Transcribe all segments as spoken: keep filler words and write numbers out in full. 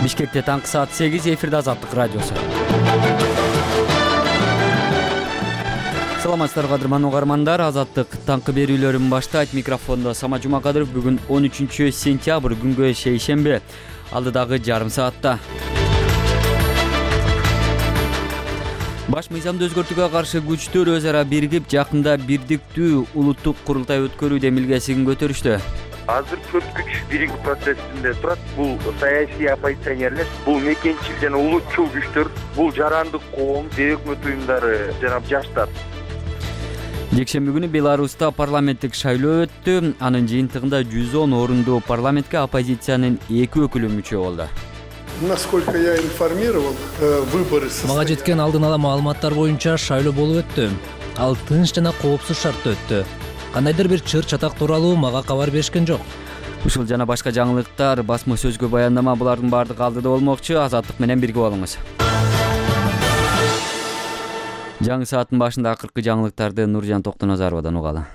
Бишкекте таңкы саат сегиз, эфирде Азаттык радиосу. Саламатсыздарбы кадырман угармандар, Азаттык таңкы берүүлөрүн баштайт. Микрофондо Сама Жумакадыров. Бүгүн он үчүнчү сентябрь, күнгө шейшемби. Алдыдагы жарым саатта баш мыйзамды өзгөртүүгө каршы күчтөр өз ара биригип, жакында бирдиктүү улуттук курултай өткөрүү демилгесин көтөрүштү. Азыр төрт күч биригүү процессинде турат. Бул саясий оппозиционерлер, бул мекенчил жана улутчул күчтөр, бул жарандык коом, өкмөт уюмдары жана жаштар. Жекшемби күнү Беларуста парламенттик шайлоо өттү. Анын жыйынтыгында жүз он орундуу парламентке оппозициянын эки өкүлү мүчө болду. Насколько я информировал, выборы состоялись. Мага жеткен алдын ала маалыматтар боюнча шайлоо болуп өттү. Ал тынч жана коопсуз шартта өттү. Кандайдыр бир чыр чатак тууралуу мага кабар беришкен жок. Ушул жана башка жаңылыктар, басма сөзгө баяндама, булардын баардыгы алдыда болмокчу. Азаттык менен бирге болуңуз. Жаңы сааттын башында акыркы жаңылыктарды Нуржан Токтоназаровадан угалы.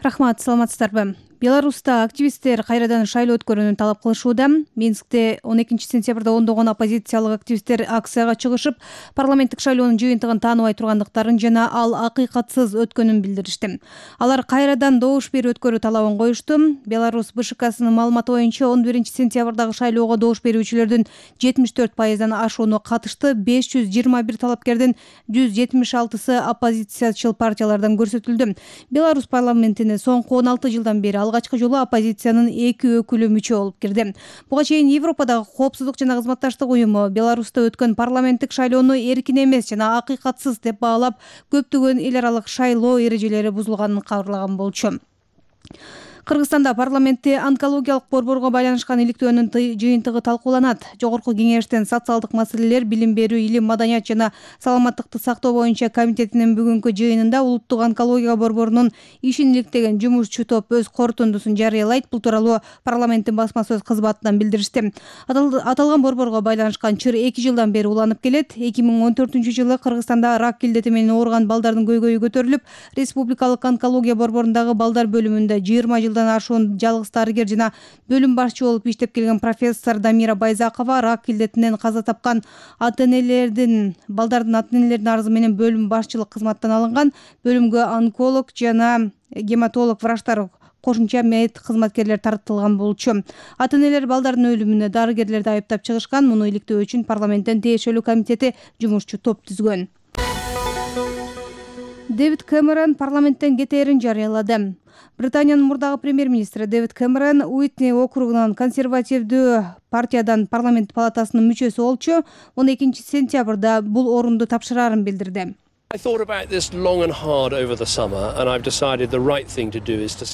Рахмат, саламатсыздарбы. Беларуста активисттер кайрадан шайлоо өткөрүүнү талап кылышууда. Минскте он экинчи сентябрда ондогон оппозициялык активисттер акцияга чыгышып, парламенттик шайлоонун жыйынтыгын тааныбай тургандыктарын жана ал акыйкатсыз өткөнүн билдиришти. Алар кайрадан добуш берүү өткөрүү талабын коюшту. Беларусь БШКсынын маалыматы боюнча он биринчи сентябрдагы шайлоого добуш берүүчүлөрдүн жетимиш төрт пайыздан ашууну катышты. беш жүз жыйырма бир талапкердин жүз жетимиш алтысы оппозициячыл партиялардан көрсөтүлдү. Беларусь парламентине соңку он алты жылдан бери алгачкы жолу оппозициянын эки өкүлү мүчө болуп кирди. Буга чейин Европадагы коопсуздук жана кызматташтык уюму Беларуста өткөн парламенттик шайлоону эркин эмес жана акыйкатсыз деп баалап, көптөгөн эл аралык шайлоо эрежелери бузулганын кабарлаган болчу. Кыргызстанда парламентте онкологиялык борборго байланышкан иликтөөнүн жыйынтыгы талкууланат. Жогорку кеңештин социалдык маселелер, билим берүү, илим, маданият жана саламаттыкты сактоо боюнча комитетинин бүгүнкү жыйынында улуттук онкология борборунун ишин иликтеген жумушчу топ өз корутундусун жарыялайт. Бул тууралуу парламенттин басма сөз кызматынан билдиришти. Аталган борборго байланышкан чыр эки жылдан бери уланып келет. эки миң он төртүнчү жылы Кыргызстанда рак илдети менен ооруган балдардын көйгөйү көтөрүлүп, республикалык онкология борборундагы балдар бөлүмүндө жыйырма жыл ашуун жалгыз дарыгер жана бөлүм башчы болуп иштеп келген профессор Дамира Байзакова рак илдетинен каза тапкан ата-энелердин, балдардын ата-энелердин арызы менен бөлүм башчылык кызматтан алынган. Бөлүмгө онколог жана гематолог врачтар, кошумча мед кызматкерлер тартылган болчу. Ата-энелер балдардын өлүмүнө дарыгерлерди айыптап чыгышкан. Муну иликтөө үчүн парламенттин тиешелүү комитети жумушчу топ түзгөн. Дэвид Кэмерон парламенттен кетээрин жарыялады. Британиянын мурдагы премьер-министри Дэвид Кэмерон Уитни округунан консервативдүү партиядан парламент палатасынын мүчөсү болчу. он экинчи сентябрда бул орунду тапшырарын билдирди.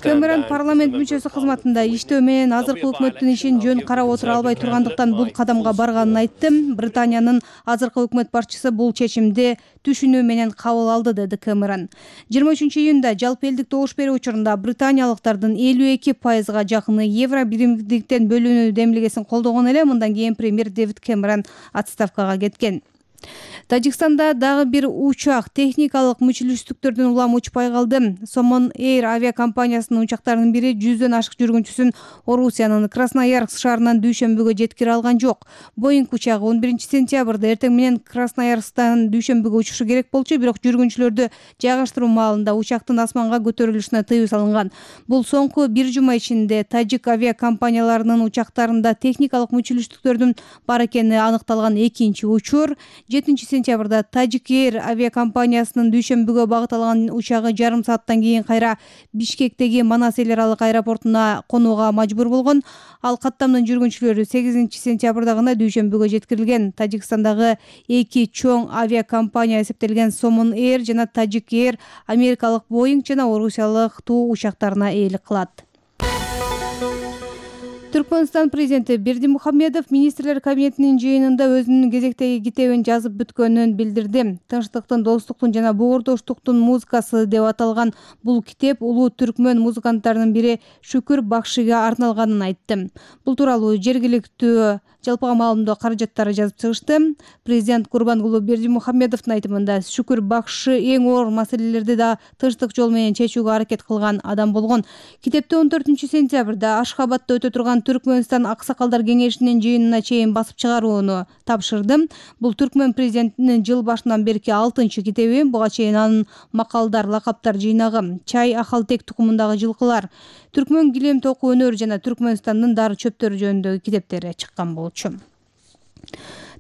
Кэмерон парламент мүчөсү кызматында иштөө менен азыркы өкмөттүн ишин жөн карап отура албай тургандыктан бул кадамга барганын айтты. Британиянын азыркы өкмөт башчысы бул чечимди түшүнүү менен кабыл алды, деди Кэмерон. жыйырма үчүнчү июнда жалпы элдик добуш берүү учурунда британиялыктардын элүү эки пайызга жакыны евро биримдиктен бөлүнүү демилгесин колдогон эле. Мындан кийин премьер Дэвид Кэмерон отставкага кеткен. Тажикстанда дагы бир учак техникалык мүчүлүштүктөрдөн улам учпай калды. Somon Air авиакомпаниясынын учактарынын бири жүздөн ашык жүргүнчүсүн Орусиянын Красноярск шаарынан дүйшөмбүгө жеткире алган жок. Боинг учагы он биринчи сентябрда эртең менен Красноярсктан дүйшөмбүгө учушу керек болчу, бирок жүргүнчүлөрдү жайгаштыруу маалында учактын асманга көтөрүлүшүнө тыюу салынган. Бул соңку бир жума ичинде тажик авиакомпанияларынын учактарында техникалык мүчүлүштүктөрдүн бар экени аныкталган экинчи учур. жетинчи сентябрда Tajik Air авиакомпаниясынын дүйшөмбүгө багыт алган учагы жарым сааттан кийин кайра Бишкектеги Манас эл аралык аэропортуна конууга мажбур болгон. Ал каттамдын жүргүнчүлөрү сегизинчи сентябрда гана дүйшөмбүгө жеткирилген. Тажикстандагы эки чоң авиакомпания эсептелген Somon Air жана Tajik Air америкалык Boeing жана орусиялык Ту учактарына ээлик кылат. Түркмөнстан президенти Бердимухамедов министрлер кабинетинин жыйынында өзүнүн кезектеги китебин жазып бүткөнүн билдирди. Тынчтыктын, достуктун жана боордоштуктун музыкасы деп аталган бул китеп улуу түркмөн музыканттарынын бири Шүкүр Бакшига арналганын айтты. Бул тууралуу жергиликтүү жалпыга маалымдоо каражаттары жазып чыгышты. Президент Курбангулу Бердимухамедовдун айтымында Шүкүр Бакшы эң оор маселелерди да тынчтык жол менен чечүүгө аракет кылган адам болгон. Китепте он төртүнчү сентябрда Ашхабадда өтө турган Түркмөнстан аксакалдар кеңешинин жыйынына чейин басып чыгарууну тапшырды. Бул Түркмөн президентинин жыл башынан берки алтынчы китеби. Буга чейин анын макалдар, лакаптар жыйнагы, чай, ахалтек тукумундагы жылкылар, түркмөн килем току өнөр жана Түркмөнстандын дары чөптөрү жөнүндөгү китептери чыккан болчу.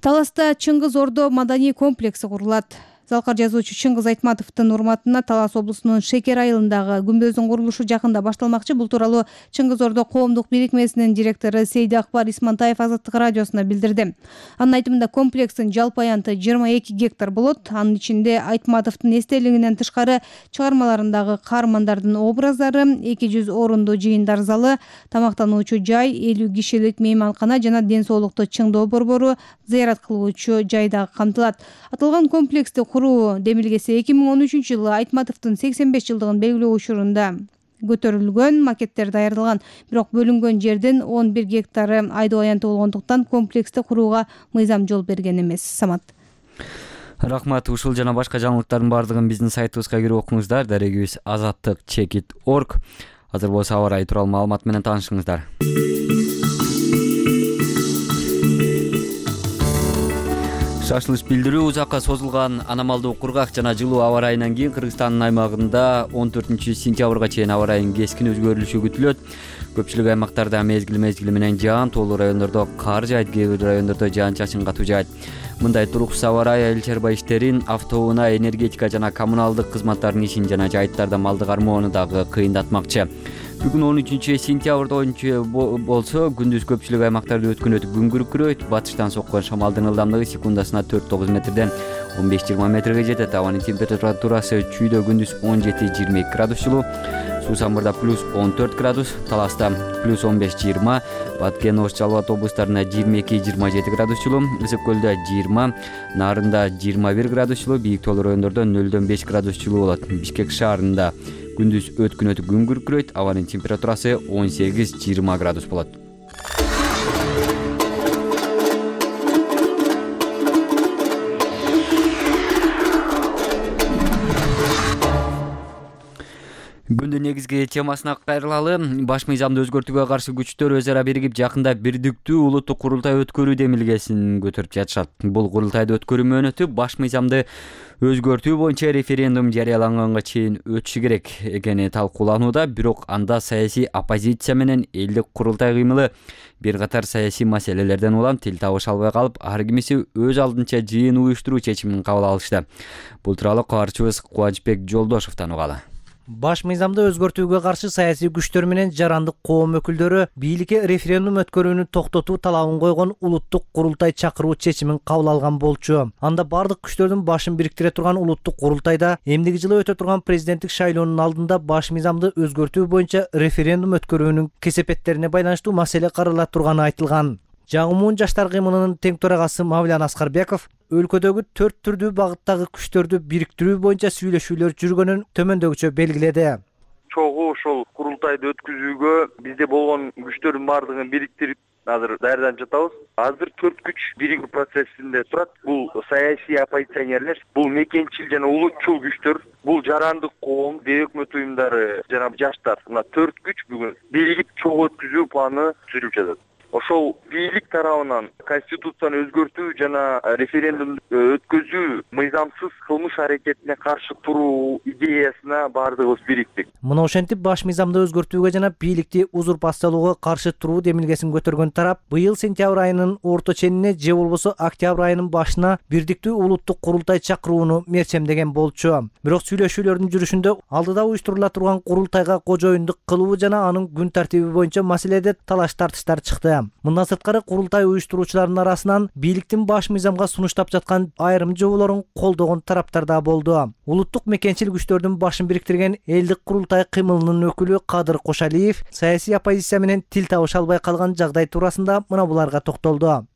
Таласта Чыңгыз Ордо маданий комплекси курулат. Залкар жазуучу Чыңгыз Айтматовдун урматына Талас облусунун Шекер айылындагы күмбөздүн курулушу жакында башталмакчы. Бул тууралуу Чыңгыз Ордо коомдук бирикмесинин директору Сейди Акбар Исмантаев Азаттык радиосуна билдирди. Анын айтымында комплекстин жалпы аянты жыйырма эки гектар болот. Анын ичинде Айтматовдун эстелигинен тышкары чыгармаларындагы каармандардын образдары, эки жүз орундуу жыйындар залы, тамактануучу жай, элүү кишилик мейманкана жана ден соолукту чыңдоо борбору, зыярат кылуучу жай дагы камтылат. Аталган комплексти куруу демилгеси эки миң он үчүнчү жылы Айтматовдун сексен беш жылдыгын белгилөө учурунда көтөрүлгөн, макеттер даярдалган. Бирок бөлүнгөн жердин он бир гектары айдоо аянты болгондуктан комплексти курууга мыйзам жол берген эмес. Самат. Рахмат. Ушул жана башка жаңылыктардын баардыгын биздин сайтыбызга кирип окуңуздар. Дарегибиз азаттык чекит точка орг. Азыр болсо аба ырайы тууралуу маалымат менен таанышыңыздар. Шашылыш билдирүү узакка созулган аномалдуу кургак жана жылуу аба ырайынан кийин Кыргызстандын аймагында он төртүнчү сентябрга чейин аба ырайынын кескин өзгөрүлүшү күтүлөт. Көпчүлүк аймактарда мезгил мезгили менен жаан, тоолуу райондордо кар жаайт, кээ бир райондордо жаан-чачын катуу жаайт. Мындай туруксуз аба ырайы айыл чарба иштерин, автоунаа, энергетика жана коммуналдык кызматтардын ишин жана жайыттарда малды кармоону дагы кыйындатмакчы. Бүгүн он үчүнчү сентябрда оюнчу болсо, күндүз көпчүлүк аймактарда өткөн өтүп күн күркүрөйт. Батыштан соккон шамалдын ылдамдыгы секундасына төрт тогуз метрден он беш жыйырма метрге жетет. Абанын температурасы чүйдө күндүз он жети жыйырма эки градус жылуу, Суусамбырда плюс он төрт градус, Таласта плюс он беш жыйырма, Баткен, Ош, Жалал Абад облустарында жыйырма эки жыйырма жети градус жылуу, Ысык көлдө жыйырма, Нарында жыйырма бир градус жылуу, бийик тоолуу райондордо нөлдөн беш градус жылуу болот. Бишкек шаарында күндүз өткөн өтүп күн күркүрөйт, абанын температурасы он сегиз жыйырма градус болот. Күндүн негизги темасына кайрылалы. Баш мыйзамды өзгөртүүгө каршы күчтөр өз ара биригип жакында бирдиктүү улуттук курултай өткөрүү демилгесин көтөрүп жатышат. Бул курултайды өткөрүү мөөнөтү баш мыйзамды өзгөртүү боюнча референдум жарыяланганга чейин өтүшү керек экени талкууланууда. Бирок анда саясий оппозиция менен элдик курултай кыймылы бир катар саясий маселелерден улам тил табыша албай калып, ар кимиси өз алдынча жыйын уюштуруу чечимин кабыл алышты. Бул тууралуу кабарчыбыз Кубанычбек Жолдошовдон угалы. Баш мыйзамды өзгөртүүгө каршы саясий күчтөр менен жарандык коом өкүлдөрү бийликке референдум өткөрүүнү токтотуу талабын койгон улуттук курултай чакыруу чечимин кабыл алган болчу. Анда бардык күчтөрдүн башын бириктире турган улуттук курултайда эмдиги жылы өтө турган президенттик шайлоонун алдында баш мыйзамды өзгөртүү боюнча референдум өткөрүүнүн кесепеттерине байланыштуу маселе карала турганы айтылган. Жагымуун жаштар кыймылынын тең төрагасы Мавлян Аскарбеков өлкөдөгү төрт түрдүү багыттагы күчтөрдү бириктирүү боюнча сүйлөшүүлөр жүргөнүн төмөндөгүчө белгиледи. Чогуу ошол курултайды өткөзүүгө бизде болгон күчтөрдүн баардыгын бириктирип азыр даярданып жатабыз. Азыр төрт күч биригүү процессинде турат. Бул саясий оппозиционерлер, бул мекенчил жана улутчул күчтөр, бул жарандык коом, өкмөт уюмдары жана жаштар. Мына төрт күч бүгүн биригип чогуу өткөзүү планы түзүлүп жатат. Ошол бийлик тарабынан конституцияны өзгөртүү жана референдум өткөзүү мыйзамсыз кылмыш аракетине каршы туруу идеясына баардыгыбыз бириктик. Мына ошентип баш мыйзамды өзгөртүүгө жана бийликти узурпациялоого каршы туруу демилгесин көтөргөн тарап быйыл сентябрь айынын орто ченине же болбосо октябрь айынын башына бирдиктүү улуттук курултай чакырууну мерчемдеген болчу. Бирок сүйлөшүүлөрдүн жүрүшүндө алдыда уюштурула турган курултайга кожоюндук кылуу жана анын күн тартиби боюнча маселеде талаш тартыштар чыкты. Мындан сырткары курултай уюштуруучулардын арасынан бийликтин баш мыйзамга сунуштап жаткан айрым жоболорун колдогон тараптар да болду. Улуттук мекенчил күчтөрдүн башын бириктирген элдик курултай кыймылынын өкүлү Кадыр Кошалиев саясий оппозиция менен тил табыша албай калган жагдай туурасында мына буларга токтолду.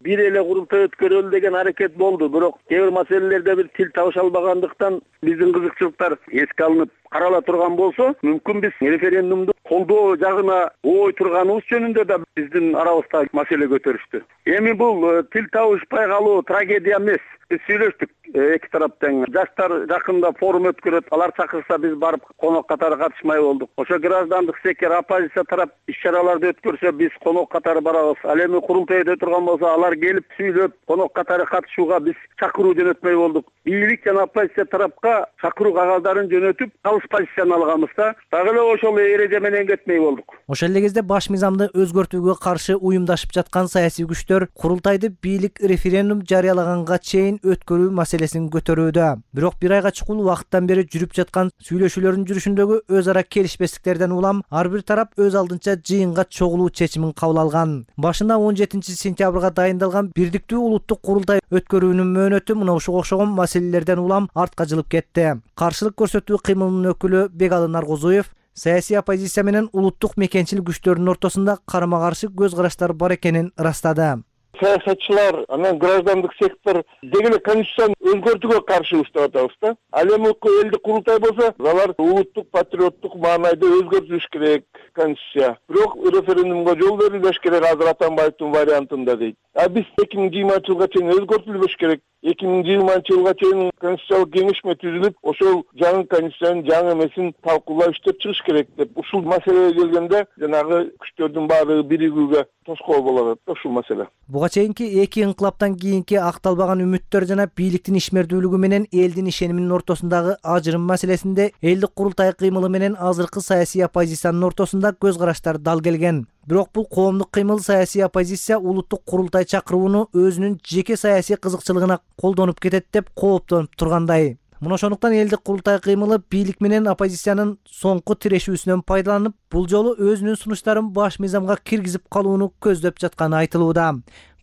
Бир эле курултай өткөрөлү деген аракет болду, бирок кээ бир маселелерде бир тил табыша албагандыктан биздин кызыкчылыктар эске алынып карала турган болсо, мүмкүн биз референдумду колдоо жагына ой турганыбыз жөнүндө да биздин арабызда маселе көтөрүштү. Эми бул тил табышпай калуу трагедия эмес. Биз сүйлөштүк эки тараптан. Жаштар жакында форум өткөрөт, алар чакырса биз барып конок катары катышмай болдук. Ошо граждандык сектор, оппозиция тарап иш-чараларды өткөрсө, биз конок катары барабыз. Ал эми курултайда турган болсо, алар келип сүйлөп, конок катары катышууга биз чакыруу жөнөтмөй болдук. Бийлик жана оппозиция тарапка чакыруу кагаздарын жөнөтүп, калыс позицияны алганбыз да. Дагы эле ошол эреже менен кетмей болдук. Ошол эле кезде баш мыйзамды өзгөртүүгө каршы уюмдашып жаткан саясий күчтөр курултайды бийлик референдум жарыялаганга чейин өткөрүү маселесин көтөрүүдө. Бирок бир айга чукул убакыттан бери жүрүп жаткан сүйлөшүүлөрдүн жүрүшүндөгү өз ара келишпестиктерден улам ар бир тарап өз алдынча жыйынга чогулуу чечимин кабыл алган. Башында он жетинчи сентябрга дайындалган бирдиктүү улуттук курултай өткөрүүнүн мөөнөтү мына ушуга окшогон маселелерден улам артка жылып кетти. Каршылык көрсөтүү кыймылынын өкүлү Бегалы Наргозуев саясий оппозиция менен улуттук мекенчил күчтөрдүн ортосунда карама-каршы көз караштар бар экенин ырастады. Саясатчылар, анан граждандык сектор деги эле конституцияны өзгөртүүгө каршыбыз деп атабыз да. Ал эми элдик курултай болсо, алар улуттук патриоттук маанайда өзгөртүлүш керек конституция. Бирок референдумга жол берилбеш керек Азыр Атамбаевдин вариантында дейт. А биз эки миң жыйырманчы жылга чейин өзгөртүлбөш керек. эки миң жыйырманчы жылга чейин конституциялык кеңешме түзүлүп, ошол жаңы конституциянын жаңы эмесин талкуулап иштеп чыгыш керек деп. Ушул маселеге келгенде жанагы күчтөрдүн баары биригүүгө тоскоол болот да ушул маселе. Буга чейинки эки инкылаптан кийинки акталбаган үмүттөр жана бийликтин ишмердүүлүгү менен элдин ишениминин ортосундагы ажырым маселесинде элдик курултай кыймылы менен азыркы саясий оппозициянын ортосунда көз караштар дал келген. Бирок бул коомдук кыймыл саясий оппозиция улуттук курултай чакырууну өзүнүн жеке саясий кызыкчылыгына колдонуп кетет деп кооптонуп тургандай. Мына ошондуктан элдик курултай кыймылы бийлик менен оппозициянын соңку тирешүүсүнөн пайдаланып, бул жолу өзүнүн сунуштарын баш мыйзамга киргизип калууну көздөп жатканы айтылууда.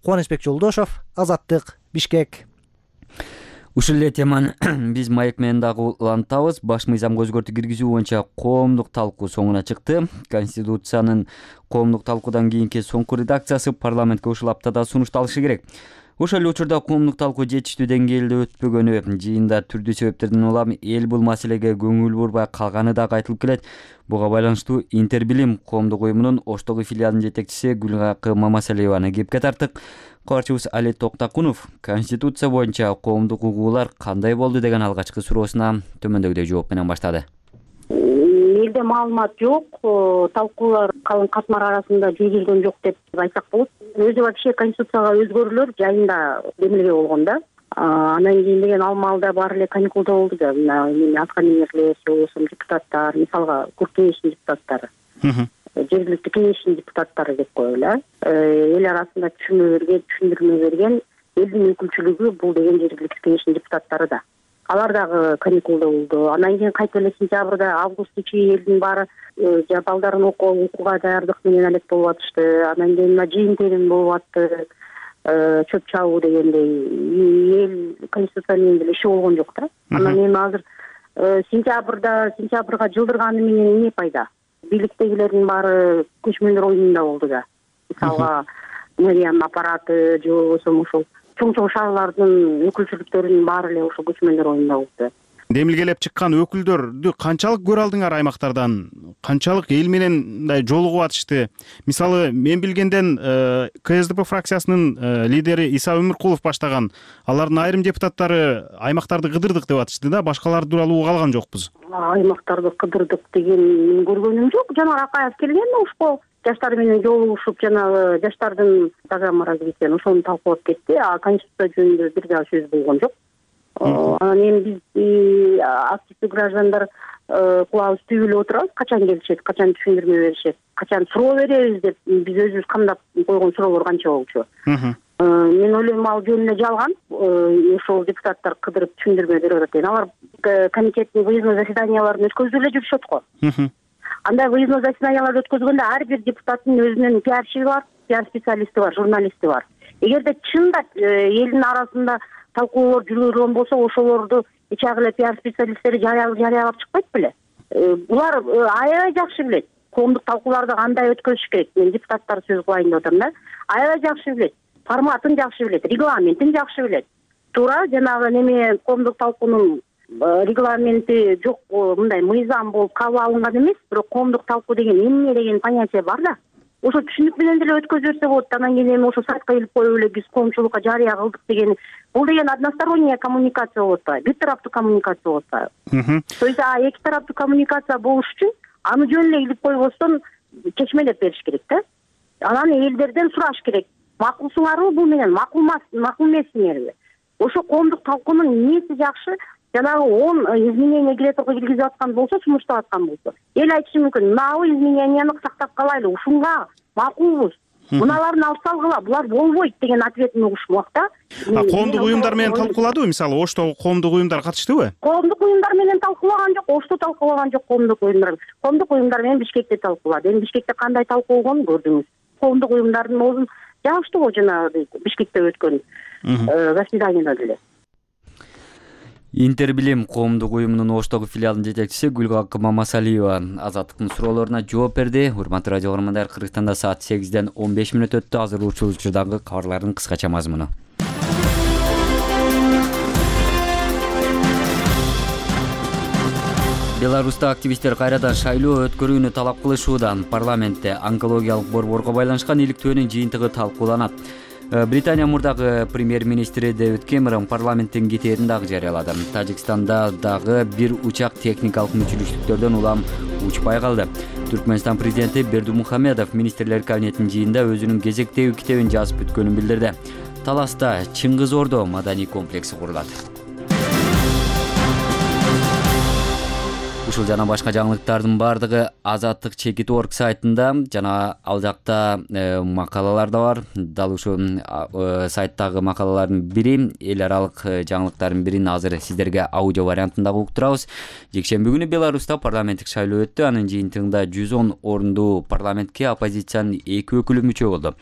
Кубанычбек Жолдошов, Азаттык, Бишкек. Ушул эле теманы биз маек менен дагы улантабыз. Баш мыйзамга өзгөртүү киргизүү боюнча коомдук талкуу соңуна чыкты. Конституциянын коомдук талкуудан кийинки соңку редакциясы парламентке ушул аптада сунушталышы керек. Ошол эле учурда коомдук талкуу жетиштүү деңгээлде өтпөгөнү, жыйында түрдүү себептерден улам эл бул маселеге көңүл бурбай калганы дагы айтылып келет. Буга байланыштуу Интербилим коомдук уюмунун Оштогу филиалынын жетекчиси Гүлгакы Мамасалиеваны кепке тарттык. Кабарчыбыз Али Токтакунов Конституция боюнча коомдук угуулар кандай болду деген алгачкы суроосуна төмөндөгүдөй жооп менен баштады. Элде маалымат жок, талкуулар калың катмар арасында жүргүзүлгөн жок деп айтсак болот. Өзү вообще конституцияга өзгөрүүлөр жайында демилге болгон да. Анан кийин деген ал маалда баары эле каникулда болду да. Мына аткаминерлер, болсо депутаттар, мисалга Көк кеңештин депутаттары. Жергиликтүү кеңештин депутаттары деп коелу. Эл арасында түшүнүү берген, түшүндүрмө берген элдин өкүлчүлүгү бул деген жергиликтүү кеңештин депутаттары да. Алар дагы каникулда болду. Анан кийин кайта эле сентябрда, августта чейин элдин баары балдарын окууга даярдык менен алек болуп атышты. Анан кийин жыйын терим болуп атты. Чөп чабуу дегендей эл конституция менен деле иши болгон жок да. Анан эми азыр сентябрда, сентябрга жылдырганы менен эмне пайда? Бийликтегилердин баары көчмөндөр оюнунда болду да. Мисалга мэриянын аппараты же болбосо ошол чоң чоң шаарлардын өкүлчүлүктөрүнүн баары эле ошо көчмөндөр оюнунда болду. Демилгелеп чыккан өкүлдөрдү канчалык көрө алдыңар аймактардан? Канчалык эл менен мындай жолугуп атышты? Мисалы, мен билгенден КСДП фракциясынын лидери Иса Өмүркулов баштаган, алардын айрым депутаттары аймактарды кыдырдык деп атышты да, башкалар тууралуу уга алган жокпуз. Аймактарды кыдырдык деген мен көргөнүм жок. Жанар Акаев келген ушко жаштар менен жолугушуп, жанагы жаштардын программа развития ошону талкуулап кетти. А конституция жөнүндө бир дагы сөз болгон жок. Анан эми биз активдүү граждандар кулабыбыз түбүлүп отурабыз, качан келишет, качан түшүндүрмө беришет, качан суроо беребиз деп биз өзүбүз камдап койгон суроолор канча болчу. Мен ойлойм ал жөн эле жалган. Ошол депутаттар кыдырып түшүндүрмө берип атат деген. Алар комитеттин выездной заседанияларын өткөзүп эле жүрүшөт го. Андай выездной заседанияларды өткөзгөндө ар бир депутаттын өзүнүн пиарщиги бар, пиар специалисти бар, журналисти бар. Эгерде чындап элдин арасында талкуулар жүргүзүлгөн болсо, ошолорду ичагы эле пиар специалисттери жарыялап чыкпайт беле? Булар аябай жакшы билет. Коомдук талкууларды кандай өткөзүш керек? Мен депутаттар сөз кылайын деп атам да. Аябай жакшы билет. Форматын жакшы билет, регламентин жакшы билет. Туура жанагы неме коомдук талкуунун регламенти жок, мындай мыйзам болуп кабыл алынган эмес, бирок коомдук талкуу деген эмне деген понятие бар да. Ошо түшүнүк менен деле өткөзө берсе болот. Анан кийин эми ошо сайтка илип коюп эле биз коомчулукка жарыя кылдык деген. Бул деген односторонняя коммуникация болуп атпайбы, бир тараптуу коммуникация болуп атпайбы. То есть эки тараптуу коммуникация болуш үчүн аны жөн эле илип койбостон чечмелеп бериш керек да. Анан элдерден сураш керек. Макулсуңарбы бул менен, макул макул эмессиңерби? Ошо коомдук талкуунун эмнеси жакшы? Жанагы он изменение киргизип киргизип аткан болсо, сунуштап аткан болсо, эл айтышы мүмкүн, мынабы измененияны сактап калайлы, ушунга макулбуз. Муналарын алып салгыла, булар болбойт деген ответин угушмак да. Коомдук уюмдар менен талкууладыбы? Мисалы, Оштогу коомдук уюмдар катыштыбы? Коомдук уюмдар менен талкуулаган жок, Ошто талкуулаган жок коомдук уюмдар. Коомдук уюмдар менен Бишкекте талкуулады. Эми Бишкекте кандай талкуу болгонун көрдүңүз. Коомдук уюмдардын оозун жабышты го жанагы Бишкекте өткөн заседанияда деле. Интербилим коомдук уюмунун Оштогу филиалынын жетекчиси Гүлгакы Мамасалиева азаттыктын суроолоруна жооп берди. Урматтуу радио көрөрмандар, Кыргызстанда саат сегизден он беш мүнөт өттү. Азыр учурдагы кабарлардын кыскача мазмуну. Беларуста активисттер кайрадан шайлоо өткөрүүнү талап кылышууда. Парламентте онкологиялык борборго байланышкан иликтөөнүн жыйынтыгы талкууланат. Британия мурдагы премьер-министри Дэвид Кэмерон парламенттин кетээрин дагы жарыялады. Тажикстанда дагы бир учак техникалык мүчүлүштүктөрдөн улам учпай калды. Түркмөнстан президенти Бердумухамедов министрлер кабинетинин жыйынында өзүнүн кезектеги китебин жазып бүткөнүн билдирди. Таласта Чыңгыз Ордо маданий комплекси курулат. Ушул жана башка жаңылыктардын бардыгы Азаттык чекит точка орг сайтында жана ал жакта макалалар да бар. Дал ушул сайттагы макалалардын бири, эл аралык жаңылыктардын бирин азыр сиздерге аудио вариантында уктурабыз. Жекшемби күнү Беларуста парламенттик шайлоо өттү. Анын жыйынтыгында жүз он орундуу парламентке оппозициянын эки өкүлү мүчө болду.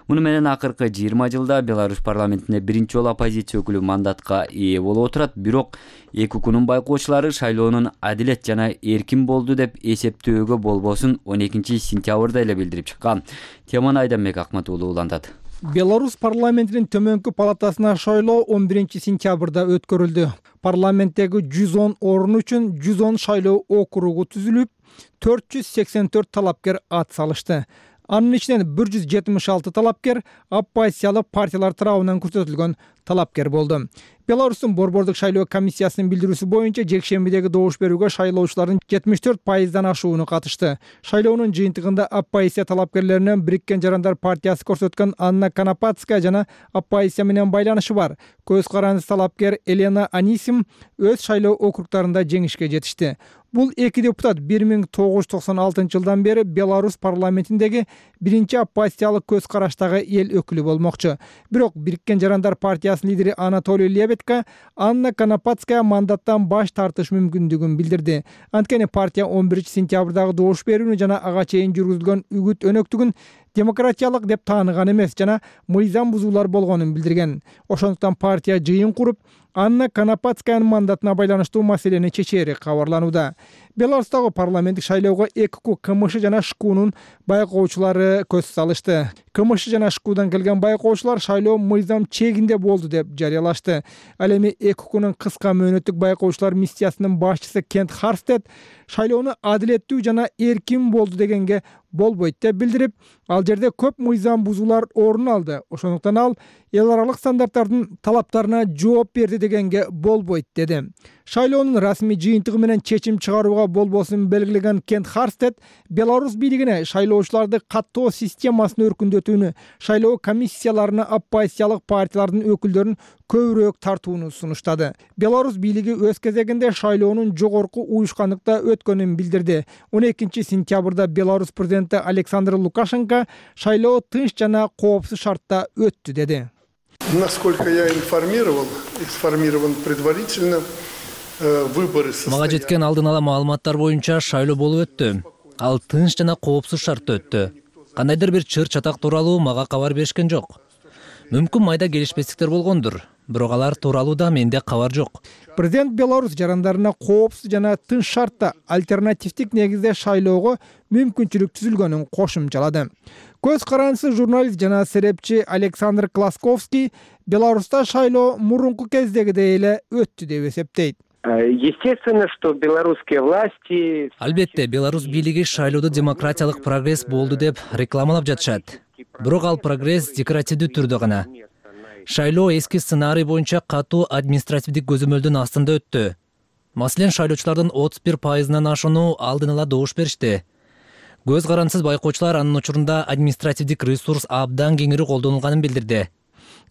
Муну менен акыркы жыйырма жылда Беларусь парламентине биринчи жолу оппозиция өкүлү мандатка ээ болуп отурат. Бирок эки укунун байкоочулары шайлоонун адилет жана эркин болду деп эсептөөгө болбосун он экинчи сентябрда эле билдирип чыккан. Теманы Айданбек Акматуулу улантат. Беларусь парламентинин төмөнкү палатасына шайлоо он биринчи сентябрда өткөрүлдү. Парламенттеги жүз он орун үчүн жүз он шайлоо округу түзүлүп, төрт жүз сексен төрт талапкер ат салышты. Анын ичинен бир жүз жетимиш алты талапкер оппозициялык партиялар тарабынан көрсөтүлгөн талапкер болду. Беларустун борбордук шайлоо комиссиясынын билдирүүсү боюнча жекшембидеги добуш берүүгө шайлоочулардын жетимиш төрт пайыздан ашууну катышты. Шайлоонун жыйынтыгында оппозиция талапкерлеринен Бириккен Жарандар партиясы көрсөткөн Анна Конопатская жана оппозиция менен байланышы бар көз карандысыз талапкер Елена Анисим өз шайлоо округдарында жеңишке жетишти. Бул эки депутат бир миң тогуз жүз токсон алтынчы жылдан бери Беларусь парламентиндеги биринчи оппозициялык көз караштагы эл өкүлү болмокчу. Бирок Бириккен Жарандар партиясынын лидери Анатолий Лебедко Анна Конопатская мандаттан баш тартыш мүмкүндүгүн билдирди. Анткени партия он биринчи сентябрдагы добуш берүүнү жана ага чейин жүргүзүлгөн үгүт өнөктүгүн демократиялык деп тааныган эмес жана мыйзам бузуулар болгонун билдирген. Ошондуктан партия жыйын куруп, Анна Конопатскаянын мандатына байланыштуу маселени чечери кабарланууда. Беларустагы парламенттик шайлоого эки ку КМШ жана ШКУнун байкоочулары көз салышты. КМШ жана ШКУдан келген байкоочулар шайлоо мыйзам чегинде болду деп жарыялашты. Ал эми эки кунун кыска мөөнөттүк байкоочулар миссиясынын башчысы Кент Харстед шайлоону адилеттүү жана эркин болду дегенге болбойт деп билдирип, ал жерде көп мыйзам бузуулар орун алды. Ошондуктан ал эл аралык стандарттардын талаптарына жооп берди дегенге болбойт деди. Шайлоонун расмий жыйынтыгы менен чечим чыгарууга болбосун белгилеген Кент Харстед Беларусь бийлигине шайлоочуларды каттоо системасын өркүндөтүүнү, шайлоо комиссияларына оппозициялык партиялардын өкүлдөрүн көбүрөөк тартууну сунуштады. Беларусь бийлиги өз кезегинде шайлоонун жогорку уюшкандыкта өткөнүн билдирди. он экинчи сентябрда Беларусь президенти Александр Лукашенко шайлоо тынч жана коопсуз шартта өттү деди. Насколько я информировал, информирован предварительно, выборы состоялись. Мага жеткен алдын ала маалыматтар боюнча шайлоо болуп өттү. Ал тынч жана коопсуз шартта өттү. Кандайдыр бир чыр чатак тууралуу мага кабар беришкен жок. Мүмкүн майда келишпестиктер болгондур, бирок алар тууралуу да менде кабар жок. Президент Беларусь жарандарына коопсуз жана тынч шартта альтернативдик негизде шайлоого мүмкүнчүлүк түзүлгөнүн кошумчалады. Көз карандысыз журналист жана серепчи Александр Класковский Беларуста шайлоо мурунку кездегидей эле өттү деп эсептейт. Естественно, что белорусские власти... Албетте, Беларусь бийлиги шайлоодо демократиялык прогресс болду деп рекламалап жатышат. Бирок ал прогресс декоративдүү түрдө гана. Шайлоо эски сценарий боюнча катуу административдик көзөмөлдүн астында өттү. Маселен, шайлоочулардын отуз бир пайызынан ашууну алдын ала добуш беришти. Көз карандысыз байкоочулар анын учурунда административдик ресурс абдан кеңири колдонулганын билдирди.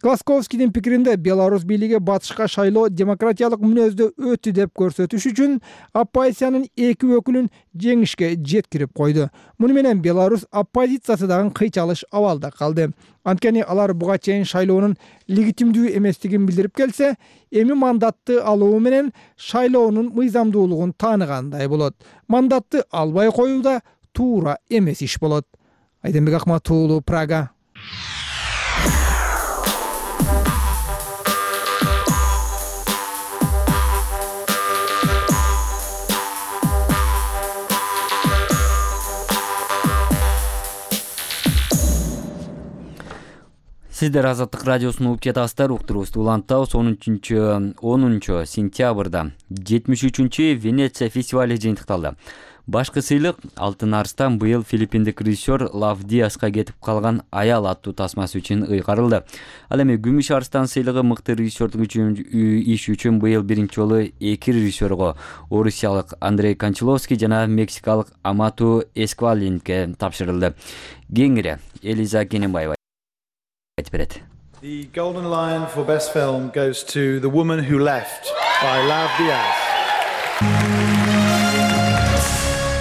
Гласковскийдин пикиринде Беларусь бийлиги батышка шайлоо демократиялык мүнөздө өттү деп көрсөтүш үчүн оппозициянын эки өкүлүн жеңишке жеткирип койду. Муну менен Беларусь оппозициясы дагы кыйчалыш абалда калды. Анткени алар буга чейин шайлоонун легитимдүү эместигин билдирип келсе, эми мандатты алуу менен шайлоонун мыйзамдуулугун тааныгандай болот. Мандатты албай коюу да туура эмес иш болот. Айденбек Акматов уулу, Прага. Сиздер Азаттык радиосун угуп жатасыздар. Уктурубузду улантабыз. онунчу сентябрда жетимиш үчүнчү Венеция фестивали жыйынтыкталды. Башкы сыйлык Алтын Арстан быйыл филиппиндик режиссер Лав Диаска кетип калган аял аттуу тасмасы үчүн ыйгарылды. Ал эми Күмүш Арстан сыйлыгы мыкты режиссердук үчүн иш үчүн быйыл биринчи жолу эки режиссерго, орусиялык Андрей Кончаловский жана мексикалык Амату Эсквалинге тапшырылды. Кеңири Элиза Кененбаева айтып берет. The Golden Lion for Best Film goes to The Woman Who Left by Lav Diaz.